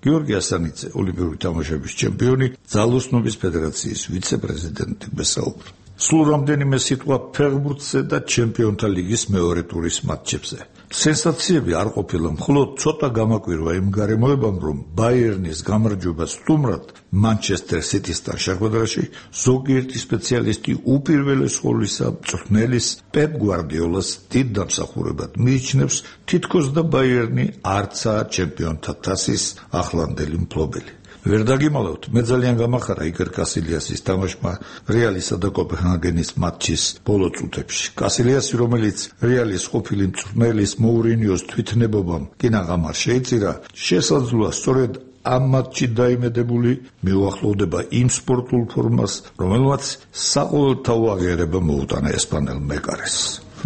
გიორგი ასანიძე, ოლიმპიური თამაშების ჩემპიონი, ძალოსნობის ფედერაციის ვიცე-პრეზიდენტი მესაუბრა. სულ რამდენიმე სიტყვა ფეხბურთზე და ჩემპიონთა ლიგის მეორე ტურის მატჩებზე. სენსაციები არ ყოფილა, მხოლოდ ცოტა გამაკვირვა იმ გარემოებამ, რომ ბაიერნის გამარჯვება სტუმრად მანჩესტერ სიტისთან შეხვედრაში ზოგიერთი სპეციალისტი უპირველეს ყოვლისა მწვრთნელის პეპ გვარდიოლას დიდ დამსახურებად მიიჩნევს, თითქოს და ბაიერნი არცაა ჩემპიონთა თასის ახლანდელი მფლობელი. ვერ დაგიმალავთ, მე ძალიან გამახარა იგორ კასილიასის თამაშმა რეალისა და კოპენჰაგენის მატჩის ბოლო წუთებში. კასილიასი, რომელიც რეალის ყოფილი მწვრთნელის მოურინიოს თვითნებობამ კინაღამ არ შეიწირა, შესაძლოა სწორედ ამ მატჩში დაიმედებული მიუახლოვდება იმ სპორტულ ფორმას, რომელმაც საყოველთაო აღიარება მოუტანა ესპანელ მეკარეს.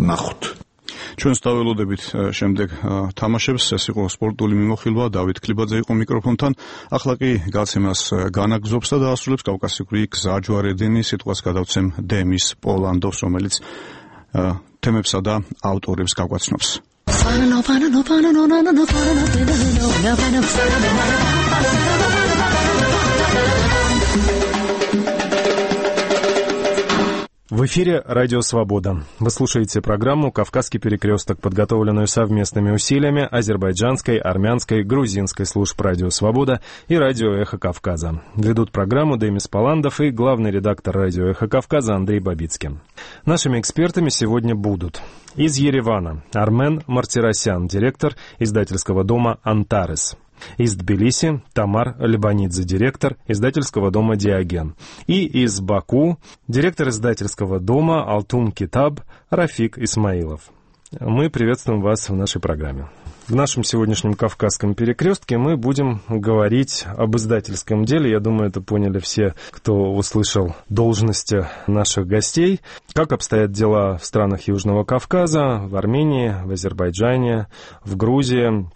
ნახოთ. ჩვენს დაველოდებით შემდეგ თამაშებს. ეს იყო სპორტული მიმოხილვა. დავით ქლიბაძე იყო მიკროფონთან. ახლა კი გაცემას განაგზობს და დაასრულებს კავკასიური გზაჯვარედინი. სიტყვას გადავცემ დემის პოლანდოს, რომელიც თემებსა და ავტორებს გაგვაცნობს. В эфире «Радио Свобода». Вы слушаете программу «Кавказский перекресток», подготовленную совместными усилиями азербайджанской, армянской, грузинской служб «Радио Свобода» и «Радио Эхо Кавказа». Ведут программу Демис Поландов и главный редактор «Радио Эхо Кавказа» Андрей Бабицкий. Нашими экспертами сегодня будут из Еревана Армен Мартиросян, директор издательского дома «Антарес». Из Тбилиси Тамар Лебанидзе, директор издательского дома «Диоген». И из Баку директор издательского дома «Алтун Китаб» Рафик Исмаилов. Мы приветствуем вас в нашей программе. В нашем сегодняшнем «Кавказском перекрестке» мы будем говорить об издательском деле. Я думаю, это поняли все, кто услышал должности наших гостей. Как обстоят дела в странах Южного Кавказа, в Армении, в Азербайджане, в Грузии,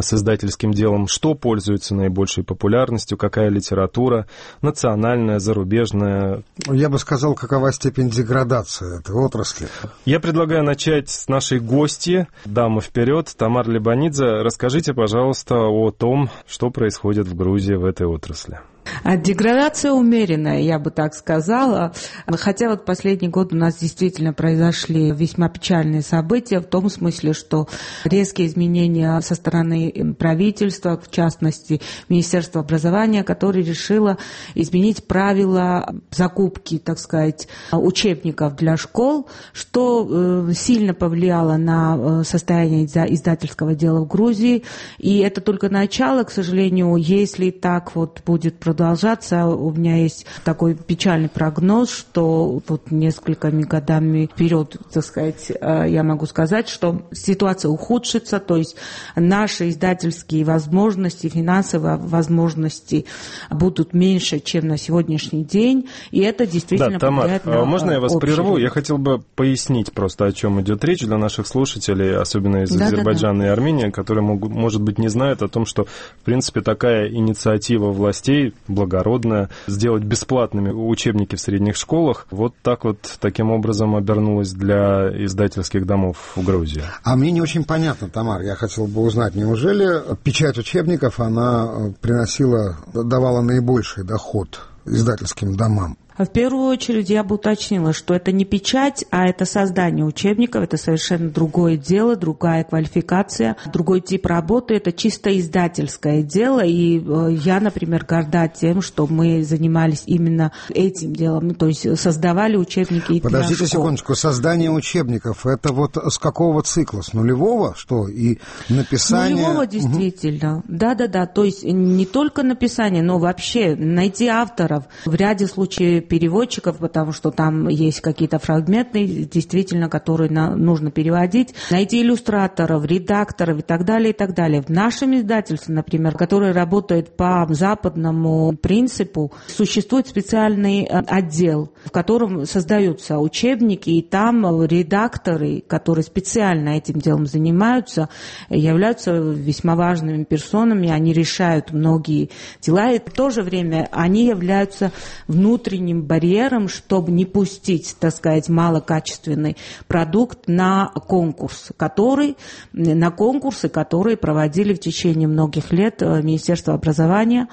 с издательским делом, что пользуется наибольшей популярностью, какая литература, национальная, зарубежная. Я бы сказал, какова степень деградации этой отрасли. Я предлагаю начать с нашей гости. Дама вперед, Тамар Лебанидзе. Расскажите, пожалуйста, о том, что происходит в Грузии в этой отрасли. Деградация умеренная, я бы так сказала. Хотя вот последний год у нас действительно произошли весьма печальные события, в том смысле, что резкие изменения со стороны правительства, в частности, Министерства образования, которое решило изменить правила закупки, так сказать, учебников для школ, что сильно повлияло на состояние издательского дела в Грузии. И это только начало, к сожалению, если так вот будет продолжаться. Продолжаться. У меня есть такой печальный прогноз, что вот несколькими годами вперед, так сказать, я могу сказать, что ситуация ухудшится, то есть наши издательские возможности, финансовые возможности будут меньше, чем на сегодняшний день, и это действительно да, повлияет Тамар, на можно я вас общий прерву? рынок. Я хотел бы пояснить просто, о чем идет речь для наших слушателей, особенно из да, Азербайджана да, да. и Армении, которые, могут, может быть, не знают о том, что, в принципе, такая инициатива властей благородная, сделать бесплатными учебники в средних школах, вот так вот, таким образом обернулась для издательских домов в Грузии. А мне не очень понятно, Тамар, я хотел бы узнать, неужели печать учебников, она приносила, давала наибольший доход издательским домам? В первую очередь я бы уточнила, что это не печать, а это создание учебников, это совершенно другое дело, другая квалификация, другой тип работы, это чисто издательское дело, и я, например, горда тем, что мы занимались именно этим делом, ну, то есть создавали учебники. Подождите секундочку, создание учебников, это вот с какого цикла, с нулевого, что, и написание? С нулевого, действительно, да-да-да, то есть не только написание, но вообще найти авторов, в ряде случаев переводчиков, потому что там есть какие-то фрагменты, действительно, которые на, нужно переводить, найти иллюстраторов, редакторов и так далее, и так далее. В нашем издательстве, например, которое работает по западному принципу, существует специальный отдел, в котором создаются учебники, и там редакторы, которые специально этим делом занимаются, являются весьма важными персонами, они решают многие дела, и в то же время они являются внутренним барьером, чтобы не пустить, так сказать, малокачественный продукт на конкурс, который, на конкурсы, которые проводили в течение многих лет Министерство образования.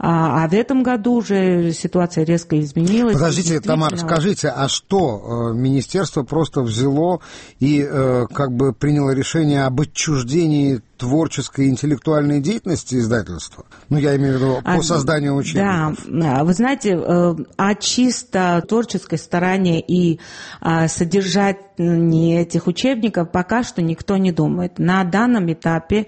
А, а в этом году уже ситуация резко изменилась. Подождите, действительно... Тамар, скажите, а что, министерство просто взяло и э, как бы приняло решение об отчуждении творческой и интеллектуальной деятельности издательства? Ну, я имею в виду по а, созданию учебников. Да, вы знаете, о чисто творческой стороне и содержании этих учебников пока что никто не думает. На данном этапе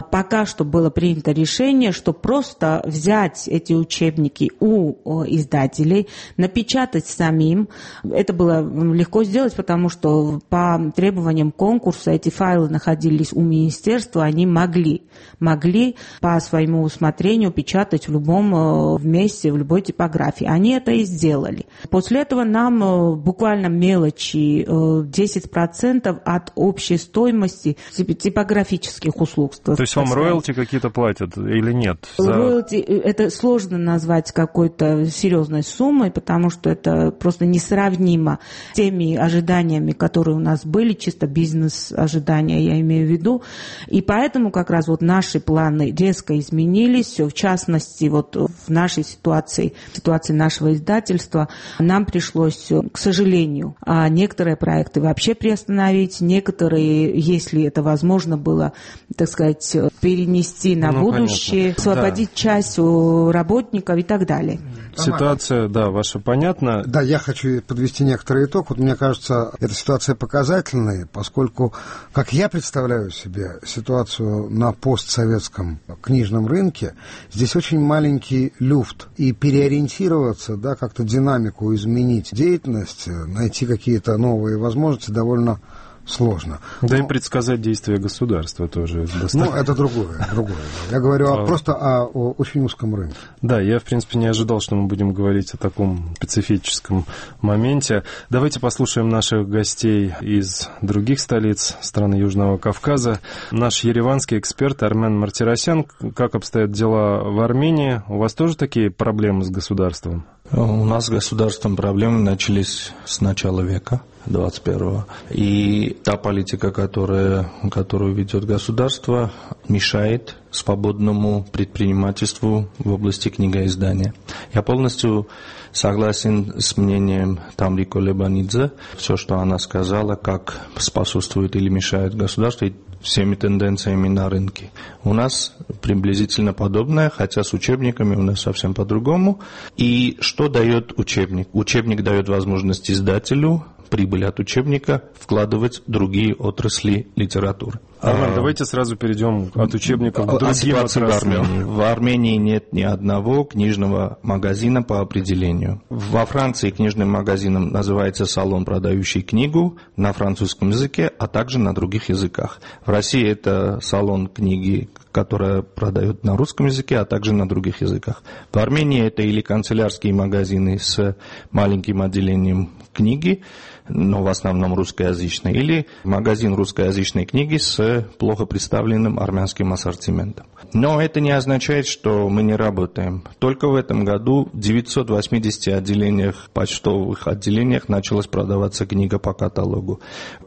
пока что было принято решение, что просто взять эти учебники у издателей, напечатать самим. Это было легко сделать, потому что по требованиям конкурса эти файлы находились у министерства, они они могли, могли по своему усмотрению печатать в любом месте, в любой типографии. Они это и сделали. После этого нам буквально мелочи, десять процентов от общей стоимости типографических услуг. То есть вам роялти какие-то платят или нет? За... Роялти, это сложно назвать какой-то серьезной суммой, потому что это просто несравнимо с теми ожиданиями, которые у нас были, чисто бизнес-ожидания, я имею в виду. И поэтому как раз вот наши планы резко изменились. В частности, вот в нашей ситуации, в ситуации нашего издательства, нам пришлось, к сожалению, некоторые проекты вообще приостановить, некоторые, если это возможно было, так сказать, перенести на ну, будущее, понятно. Освободить да. часть работников и так далее. Ситуация, да, ваша понятна. Да, я хочу подвести некоторый итог. Вот мне кажется, эта ситуация показательная, поскольку, как я представляю себе ситуацию на постсоветском книжном рынке, здесь очень маленький люфт. И переориентироваться, да, как-то динамику изменить деятельность, найти какие-то новые возможности довольно сложно. Да Но... и предсказать действия государства тоже. Ну, это другое, другое. Я говорю а... просто о, о очень узком рынке. Да, я, в принципе, не ожидал, что мы будем говорить о таком специфическом моменте. Давайте послушаем наших гостей из других столиц страны Южного Кавказа. Наш ереванский эксперт Армен Мартиросян. Как обстоят дела в Армении? У вас тоже такие проблемы с государством? У нас с государством проблемы начались с начала века двадцать первого. И та политика, которая, которую ведет государство, мешает свободному предпринимательству в области книгоиздания. Я полностью согласен с мнением Тамри Колебанидзе. Все, что она сказала, как способствует или мешает государству, и всеми тенденциями на рынке. У нас приблизительно подобное, хотя с учебниками у нас совсем по-другому. И что дает учебник? Учебник дает возможность издателю прибыль от учебника вкладывать в другие отрасли литературы. Армен, давайте сразу перейдем от учебников к другим отраслям. В Армении. В Армении нет ни одного книжного магазина по определению. Во Франции книжным магазином называется салон, продающий книгу на французском языке, а также на других языках. В России это салон книги, которая продает на русском языке, а также на других языках. В Армении это или канцелярские магазины с маленьким отделением книги, но в основном русскоязычной, или магазин русскоязычной книги с плохо представленным армянским ассортиментом. Но это не означает, что мы не работаем. Только в этом году в девятьсот восьмидесяти отделениях, почтовых отделениях началась продаваться книга по каталогу.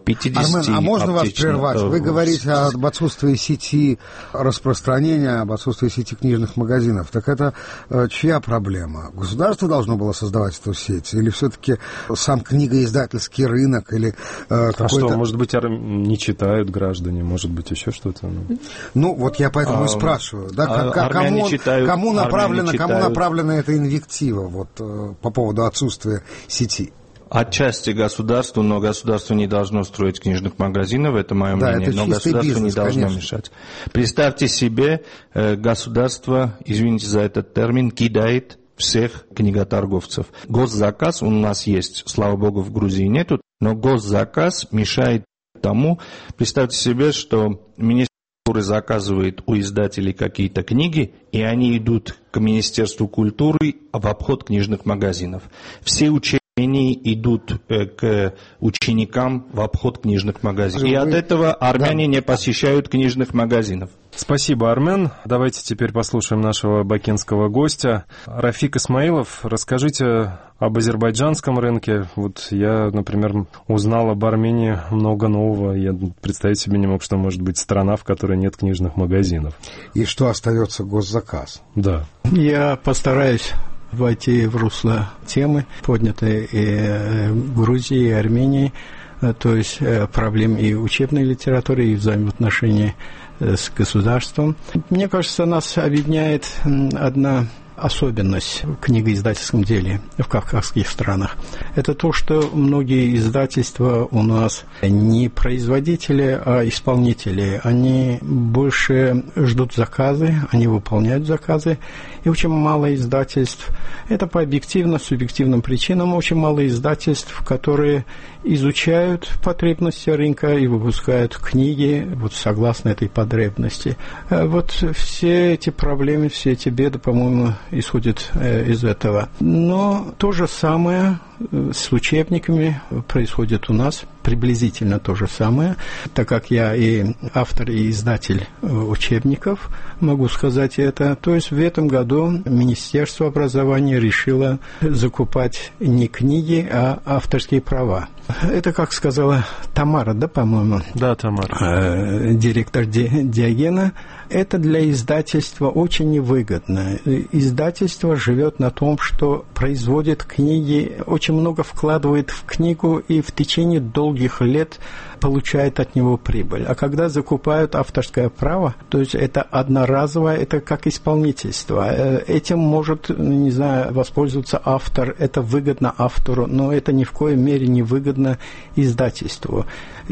Армен, а можно вас прервать? Вы говорите об отсутствии сети распространения, об отсутствии сети книжных магазинов. Так это э, чья проблема? Государство должно было создавать эту сеть? Или все-таки сам книгоиздательский рынок? Или, э, а что, может быть, не читают граждане? Может быть, еще что-то? Ну, ну вот я поэтому а, и спрашиваю. Да, а, как, кому, читают, кому, направлена, кому направлена эта инвектива вот, э, по поводу отсутствия сети? Отчасти государству, но государство не должно строить книжных магазинов, это мое да, мнение, это но государство бизнес, не должно конечно. мешать. Представьте себе, государство, извините за этот термин, кидает всех книготорговцев. Госзаказ у нас есть, слава богу, в Грузии нету, но госзаказ мешает тому, представьте себе, что министр культуры заказывает у издателей какие-то книги, и они идут к Министерству культуры в обход книжных магазинов. Все учебники Армении идут к ученикам в обход книжных магазинов. И от этого армяне да. не посещают книжных магазинов. Спасибо, Армен. Давайте теперь послушаем нашего бакинского гостя. Рафик Исмаилов, расскажите об азербайджанском рынке. Вот я, например, узнал об Армении много нового. Я представить себе не мог, что может быть страна, в которой нет книжных магазинов. И что остается госзаказ. Да. Я постараюсь войти в русло темы, поднятой и в Грузии, и Армении, то есть проблем и учебной литературы, и взаимоотношений с государством. Мне кажется, нас объединяет одна особенность в книгоиздательском деле в кавказских странах. Это то, что многие издательства у нас не производители, а исполнители. Они больше ждут заказы, они выполняют заказы. И очень мало издательств, это по объективно-субъективным причинам, очень мало издательств, которые изучают потребности рынка и выпускают книги вот согласно этой потребности. Вот все эти проблемы, все эти беды, по-моему, исходят из этого. Но то же самое с учебниками происходит у нас, приблизительно то же самое, так как я и автор, и издатель учебников, могу сказать это. То есть в этом году Министерство образования решило закупать не книги, а авторские права. Это, как сказала Тамара, да, по-моему? Да, Тамара. Директор Диогена. Это для издательства очень невыгодно. Издательство живет на том, что производит книги, очень много вкладывает в книгу и в течение долгих лет получает от него прибыль. А когда закупают авторское право, то есть это одноразовое, это как исполнительство. Этим может, не знаю, воспользоваться автор, это выгодно автору, но это ни в коей мере не выгодно издательству.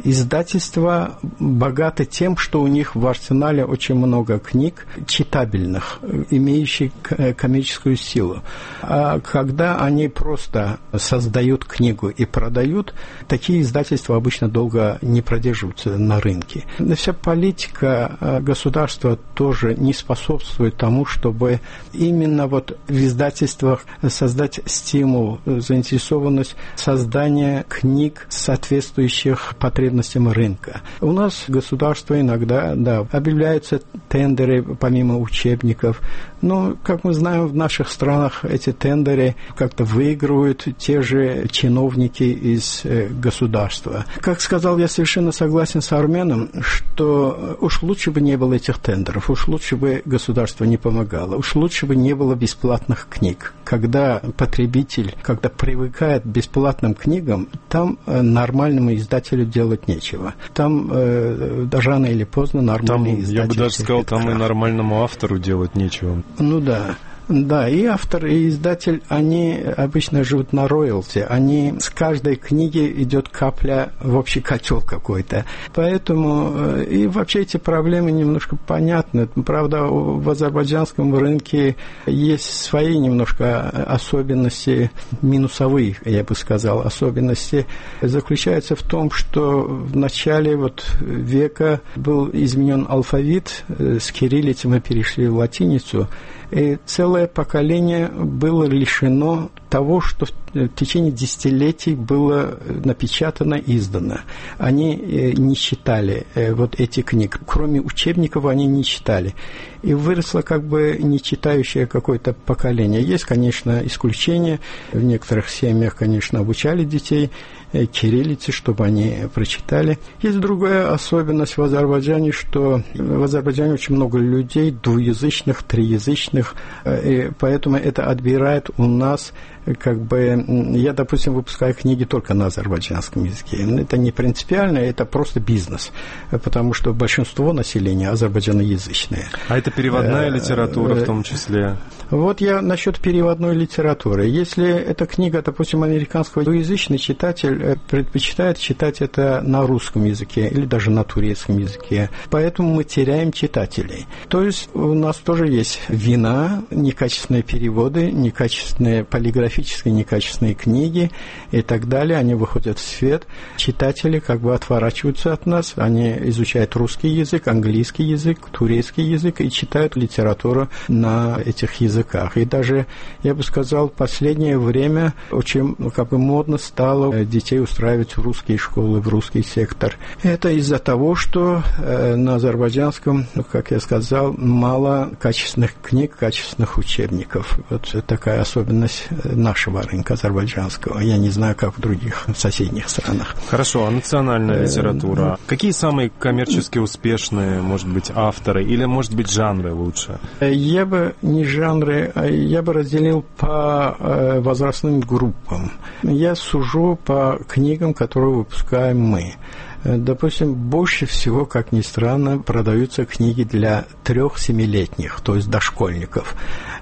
Издательства богаты тем, что у них в арсенале очень много книг читабельных, имеющих коммерческую силу. А когда они просто создают книгу и продают, такие издательства обычно долго не продерживаются на рынке. Вся политика государства тоже не способствует тому, чтобы именно вот в издательствах создать стимул, заинтересованность создания книг, соответствующих потребностям рынка. У нас государство иногда, да, объявляются тендеры помимо учебников, но, как мы знаем, в наших странах эти тендеры как-то выигрывают те же чиновники из государства. Как сказал, я совершенно согласен с Арменом, что уж лучше бы не было этих тендеров, уж лучше бы государство не помогало, уж лучше бы не было бесплатных книг. Когда потребитель, когда привыкает к бесплатным книгам, там нормальному издателю делать нечего. Там э, рано или поздно нормальный там, издатель... Я бы даже сказал, там и нормальному автору делать нечего. Ну да. Да, и автор, и издатель, они обычно живут на роялти. Они с каждой книги идет капля в общий котел какой-то. Поэтому и вообще эти проблемы немножко понятны. Правда, в азербайджанском рынке есть свои немножко особенности, минусовые, я бы сказал, особенности. Заключаются в том, что в начале вот века был изменен алфавит, с кириллицы мы перешли в латиницу, и целое поколение было лишено того, что в течение десятилетий было напечатано, издано. Они не читали вот эти книги. Кроме учебников они не читали. И выросло как бы не читающее какое-то поколение. Есть, конечно, исключения. В некоторых семьях, конечно, обучали детей кириллице, чтобы они прочитали. Есть другая особенность в Азербайджане, что в Азербайджане очень много людей двуязычных, триязычных, и поэтому это отбирает у нас как бы... Я, допустим, выпускаю книги только на азербайджанском языке. Это не принципиально, это просто бизнес, потому что большинство населения азербайджаноязычное. А это переводная литература в том числе? Вот я насчет переводной литературы. Если эта книга, допустим, американского, двуязычный читатель предпочитает читать это на русском языке или даже на турецком языке. Поэтому мы теряем читателей. То есть у нас тоже есть вина, некачественные переводы, некачественные полиграфические, некачественные книги и так далее. Они выходят в свет. Читатели как бы отворачиваются от нас. Они изучают русский язык, английский язык, турецкий язык и читают литературу на этих языках. И даже, я бы сказал, в последнее время очень как бы модно стало детей устраивать в русские школы, в русский сектор. Это из-за того, что э, на азербайджанском, как я сказал, мало качественных книг, качественных учебников. Вот такая особенность нашего рынка азербайджанского. Я не знаю, как в других соседних странах. Хорошо, а национальная литература? Какие самые коммерчески успешные, может быть, авторы или, может быть, жанры лучше? Я бы не жанры, я бы разделил по э, возрастным группам. Я сужу по книгам, которые выпускаем мы. Допустим, больше всего, как ни странно, продаются книги для трех-семилетних, то есть дошкольников.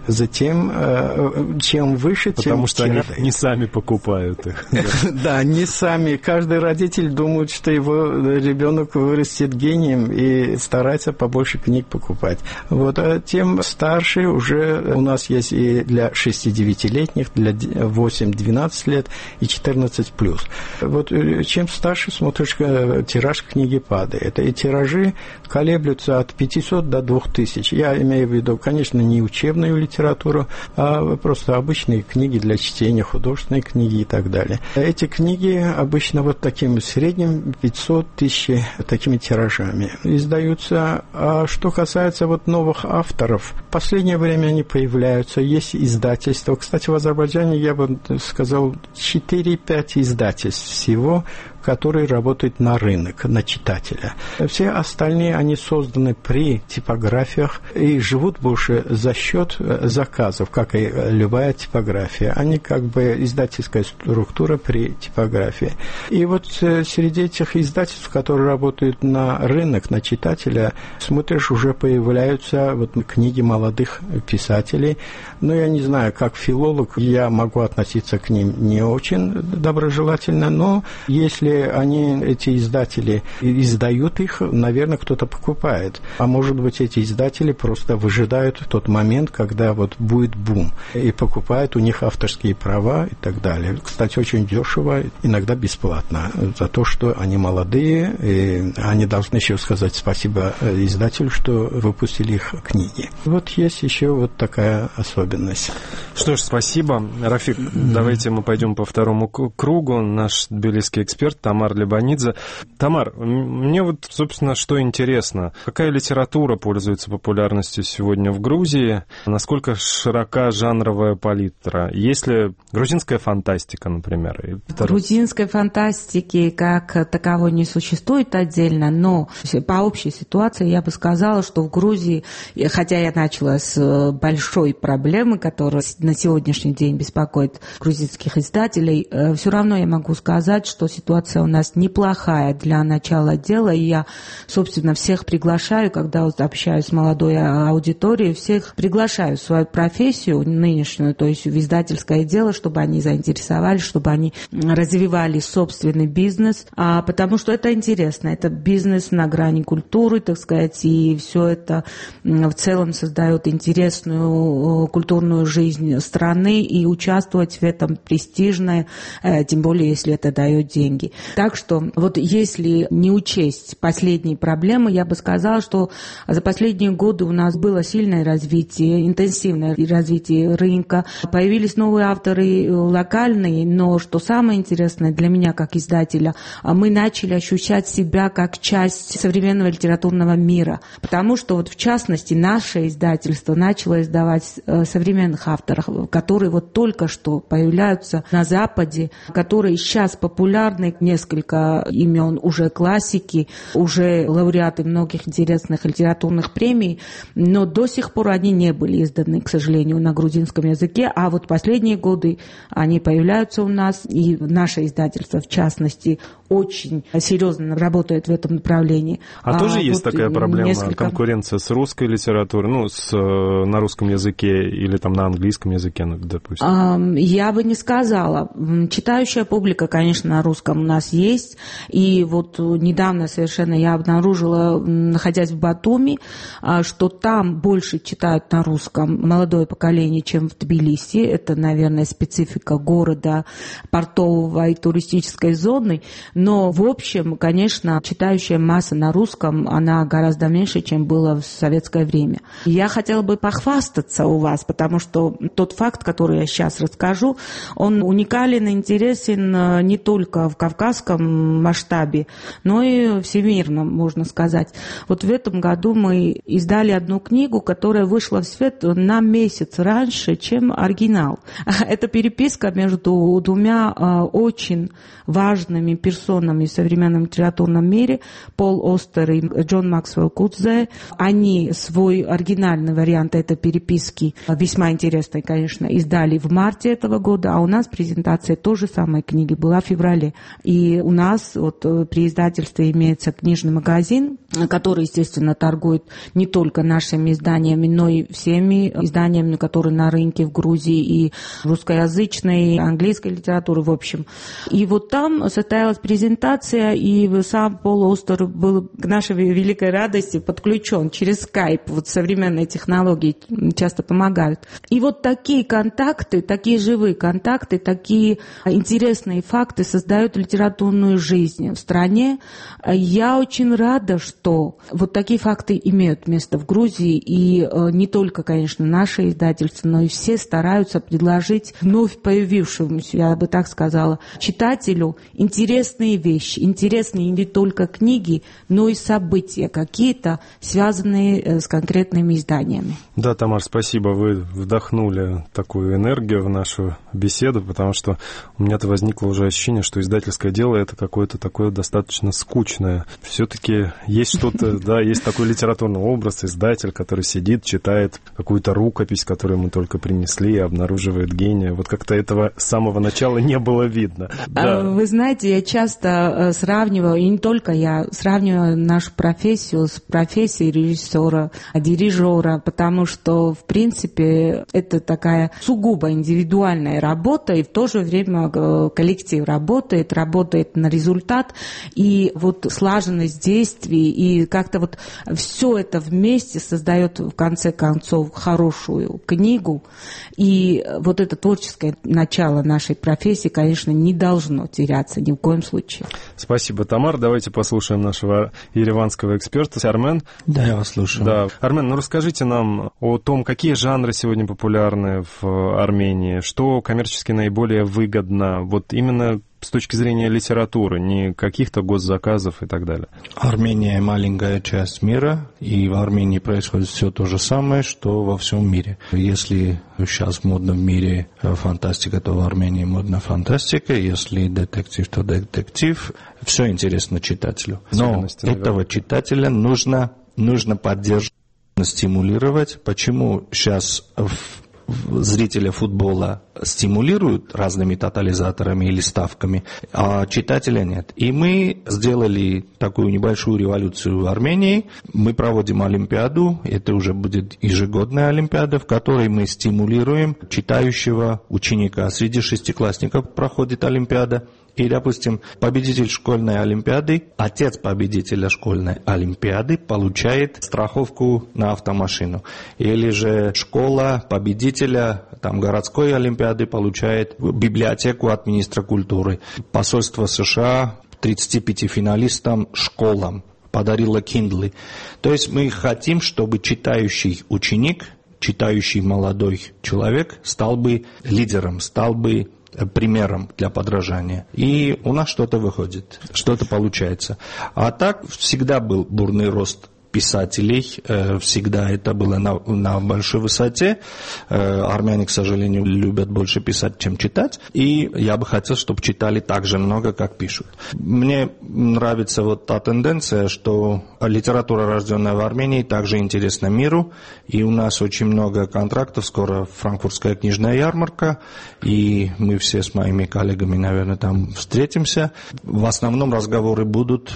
Затем, чем выше, тем... Потому что они не сами покупают их. Да, не сами. Каждый родитель думает, что его ребенок вырастет гением и старается побольше книг покупать. Вот, а тем старше уже у нас есть и для шести-девятилетних, для восемь-двенадцать лет и четырнадцать плюс. Вот чем старше смотришь, тираж книги падает. И тиражи колеблются от пятисот до двух тысяч. Я имею в виду, конечно, не учебную литературу, а просто обычные книги для чтения, художественные книги и так далее. Эти книги обычно вот таким средним пятьсот тысяч такими тиражами издаются. А что касается вот новых авторов, в последнее время они появляются, есть издательства. Кстати, в Азербайджане, я бы сказал, четыре-пять издательств всего, которые работают на рынок, на читателя. Все остальные, они созданы при типографиях и живут больше за счет заказов, как и любая типография. Они как бы издательская структура при типографии. И вот среди этих издательств, которые работают на рынок, на читателя, смотришь, уже появляются вот книги молодых писателей. Но я не знаю, как филолог, я могу относиться к ним не очень доброжелательно, но если они, эти издатели, издают их, наверное, кто-то покупает. А может быть, эти издатели просто выжидают тот момент, когда вот будет бум, и покупают у них авторские права и так далее. Кстати, очень дешево, иногда бесплатно, за то, что они молодые, и они должны еще сказать спасибо издателю, что выпустили их книги. Вот есть еще вот такая особенность. Что ж, спасибо. Рафик, mm-hmm. давайте мы пойдем по второму кругу. Наш тбилисский эксперт Тамар Лебанидзе. Тамар, мне вот, собственно, что интересно. Какая литература пользуется популярностью сегодня в Грузии? Насколько широка жанровая палитра? Есть ли грузинская фантастика, например? Грузинской фантастики как таковой не существует отдельно, но по общей ситуации я бы сказала, что в Грузии, хотя я начала с большой проблемы, которая на сегодняшний день беспокоит грузинских издателей, все равно я могу сказать, что ситуация у нас неплохая для начала дела, и я, собственно, всех приглашаю, когда вот общаюсь с молодой аудиторией, всех приглашаю в свою профессию нынешнюю, то есть в издательское дело, чтобы они заинтересовались, чтобы они развивали собственный бизнес, а, потому что это интересно, это бизнес на грани культуры, так сказать, и все это в целом создает интересную культурную жизнь страны, и участвовать в этом престижно, тем более, если это дает деньги. Так что вот если не учесть последние проблемы, я бы сказала, что за последние годы у нас было сильное развитие, интенсивное развитие рынка. Появились новые авторы локальные, но что самое интересное для меня как издателя, мы начали ощущать себя как часть современного литературного мира. Потому что вот в частности наше издательство начало издавать современных авторов, которые вот только что появляются на Западе, которые сейчас популярны, несколько имен уже классики, уже лауреаты многих интересных литературных премий, но до сих пор они не были изданы, к сожалению, на грузинском языке, а вот последние годы они появляются у нас, и наше издательство, в частности, очень серьезно работает в этом направлении. А, а тоже вот есть такая проблема, несколько... конкуренция с русской литературой, ну, с, на русском языке или там на английском языке, ну, допустим? А, я бы не сказала. Читающая публика, конечно, на русском у нас есть, и вот недавно совершенно я обнаружила, находясь в Батуми, что там больше читают на русском молодое поколение, чем в Тбилиси. Это, наверное, специфика города, портового и туристической зоны. Но, в общем, конечно, читающая масса на русском, она гораздо меньше, чем было в советское время. Я хотела бы похвастаться у вас, потому что тот факт, который я сейчас расскажу, он уникален и интересен не только в кавказском масштабе, но и всемирном, можно сказать. Вот в этом году мы издали одну книгу, которая вышла в свет на месяц раньше, чем оригинал. Это переписка между двумя очень важными персонами в современном литературном мире, Пол Остер и Джон Максвелл Кудзе. Они свой оригинальный вариант этой переписки, весьма интересной, конечно, издали в марте этого года, а у нас презентация той же самой книги была в феврале. И И у нас вот при издательстве имеется книжный магазин, который, естественно, торгует не только нашими изданиями, но и всеми изданиями, которые на рынке в Грузии, и русскоязычной, и английской литературы, в общем. И вот там состоялась презентация, и сам Пол Остер был к нашей великой радости подключен через скайп. Вот современные технологии часто помогают. И вот такие контакты, такие живые контакты, такие интересные факты создают литературную жизнь в стране. Я очень рада, что вот такие факты имеют место в Грузии, и не только, конечно, наши издательства, но и все стараются предложить вновь появившемуся, я бы так сказала, читателю интересные вещи, интересные не только книги, но и события какие-то, связанные с конкретными изданиями. Да, Тамар, спасибо, вы вдохнули такую энергию в нашу беседу, потому что у меня-то возникло уже ощущение, что издательское дело — это какое-то такое достаточно скучное. Все-таки есть что-то, да, есть такой литературный образ, издатель, который сидит, читает какую-то рукопись, которую мы только принесли, и обнаруживает гения. Вот как-то этого с самого начала не было видно. Да. Вы знаете, я часто сравниваю, и не только я, сравниваю нашу профессию с профессией режиссера, дирижера, потому что, в принципе, это такая сугубо индивидуальная работа, и в то же время коллектив работает, работает на результат, и вот слаженность действий, и как-то вот все это вместе создает, в конце концов, хорошую книгу, и вот это творческое начало нашей профессии, конечно, не должно теряться ни в коем случае. Спасибо, Тамар. Давайте послушаем нашего ереванского эксперта. Армен? Да, я вас слушаю. Да. Армен, ну расскажите нам о том, какие жанры сегодня популярны в Армении, что коммерчески наиболее выгодно, вот именно с точки зрения литературы, не каких-то госзаказов и так далее. Армения маленькая часть мира, и в Армении происходит все то же самое, что во всем мире. Если сейчас модно в мире фантастика, то в Армении модна фантастика, если детектив, то детектив. Все интересно читателю. Но этого читателя нужно, нужно поддерживать, стимулировать. Почему сейчас в зрителя футбола стимулируют разными тотализаторами или ставками, а читателя нет. И мы сделали такую небольшую революцию в Армении. Мы проводим Олимпиаду, это уже будет ежегодная Олимпиада, в которой мы стимулируем читающего ученика. Среди шестиклассников проходит Олимпиада. И, допустим, победитель школьной олимпиады, отец победителя школьной олимпиады получает страховку на автомашину. Или же школа победителя там, городской олимпиады получает библиотеку от министра культуры. Посольство США тридцати пяти финалистам школам подарило Kindle. То есть мы хотим, чтобы читающий ученик, читающий молодой человек стал бы лидером, стал бы примером для подражания. И у нас что-то выходит, что-то получается. А так всегда был бурный рост писателей, всегда это было на, на большой высоте. Армяне, к сожалению, любят больше писать, чем читать. И я бы хотел, чтобы читали так же много, как пишут. Мне нравится вот та тенденция, что литература, рожденная в Армении, также интересна миру. И у нас очень много контрактов. Скоро франкфуртская книжная ярмарка. И мы все с моими коллегами, наверное, там встретимся. В основном разговоры будут,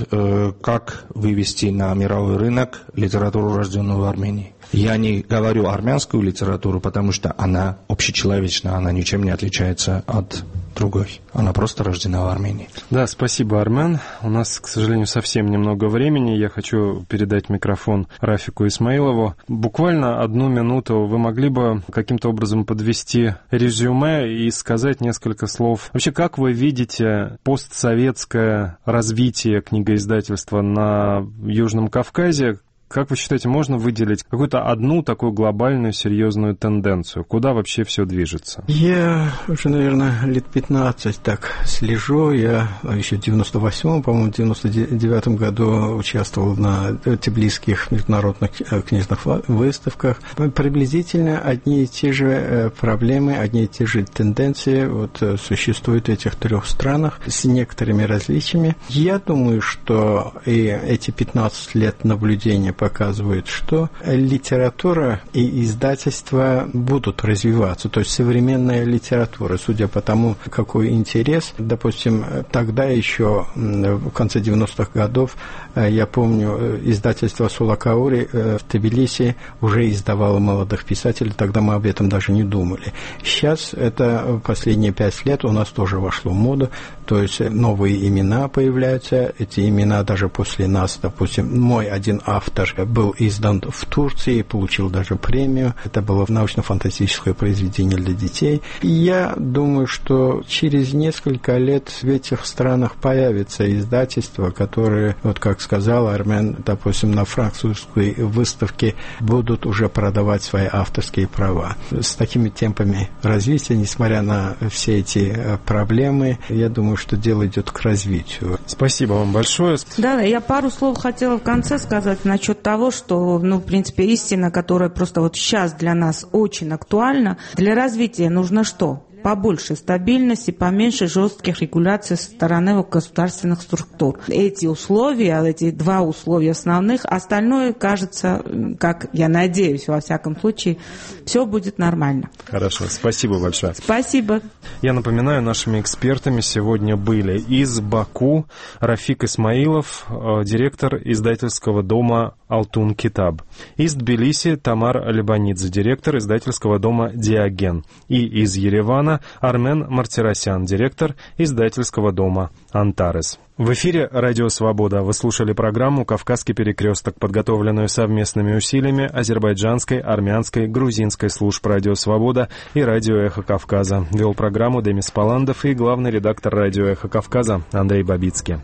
как вывести на мировой рынок литературу, рожденную в Армении. Я не говорю армянскую литературу, потому что она общечеловечна, она ничем не отличается от другой. Она просто рождена в Армении. Да, спасибо, Армен. У нас, к сожалению, совсем немного времени. Я хочу передать микрофон Рафику Исмаилову. Буквально одну минуту. Вы могли бы каким-то образом подвести резюме и сказать несколько слов? Вообще, как вы видите постсоветское развитие книгоиздательства на Южном Кавказе? Как вы считаете, можно выделить какую-то одну такую глобальную, серьезную тенденцию? Куда вообще все движется? Я уже, наверное, лет пятнадцать так слежу. Я еще в девяносто восьмом, по-моему, в девяносто девятом году участвовал на тбилисских международных книжных выставках. Приблизительно одни и те же проблемы, одни и те же тенденции вот, существуют в этих трех странах с некоторыми различиями. Я думаю, что и эти пятнадцать лет наблюдения показывает, что литература и издательства будут развиваться. То есть современная литература, судя по тому, какой интерес, допустим, тогда еще в конце девяностых годов, я помню, издательство Сулакаури в Тбилиси уже издавало молодых писателей, тогда мы об этом даже не думали. Сейчас это последние пять лет у нас тоже вошло в моду, то есть новые имена появляются, эти имена даже после нас, допустим, мой один автор был издан в Турции, получил даже премию, это было научно-фантастическое произведение для детей. И я думаю, что через несколько лет в этих странах появятся издательства, которые, вот как сказал Армен, допустим, на французской выставке будут уже продавать свои авторские права. С такими темпами развития, несмотря на все эти проблемы, я думаю, что дело идет к развитию. Спасибо вам большое. Да, я пару слов хотела в конце сказать насчет того, что, ну, в принципе, истина, которая просто вот сейчас для нас очень актуальна. Для развития нужно что? Побольше стабильности, поменьше жестких регуляций со стороны государственных структур. Эти условия, эти два условия основных, остальное, кажется, как я надеюсь, во всяком случае, все будет нормально. Хорошо, спасибо большое. Спасибо. Я напоминаю, нашими экспертами сегодня были из Баку Рафик Исмаилов, директор издательского дома «Алтун Китаб», из Тбилиси Тамар Лебанидзе, директор издательского дома «Диоген», и из Еревана Армен Мартиросян, директор издательского дома «Антарес». В эфире «Радио Свобода». Вы слушали программу «Кавказский перекресток», подготовленную совместными усилиями азербайджанской, армянской, грузинской служб «Радио Свобода» и «Радио Эхо Кавказа». Вел программу Демис Паландов и главный редактор «Радио Эхо Кавказа» Андрей Бабицкий.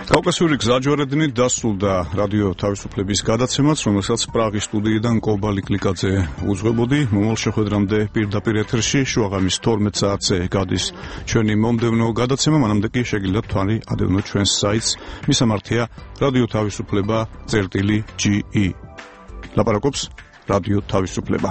კავკასიური გზაჯვარედინით დასრულდა რადიო თავისუფლების გადაცემაც, რომელსაც პრაღის სტუდიიდან კობალი კლიკაძე უძღვებოდი. მომავალ შეხვედრამდე პირდაპირ ეთერში შუაღამის თორმეტ საათზე გადის ჩვენი მომდევნო გადაცემა, მანამდე კი შეგიძლიათ თვალი ადევნოთ ჩვენს საიტს. მისამართია რადიო თავისუფლება წერტილი ჯი ი. ლაპარაკობს რადიო თავისუფლება.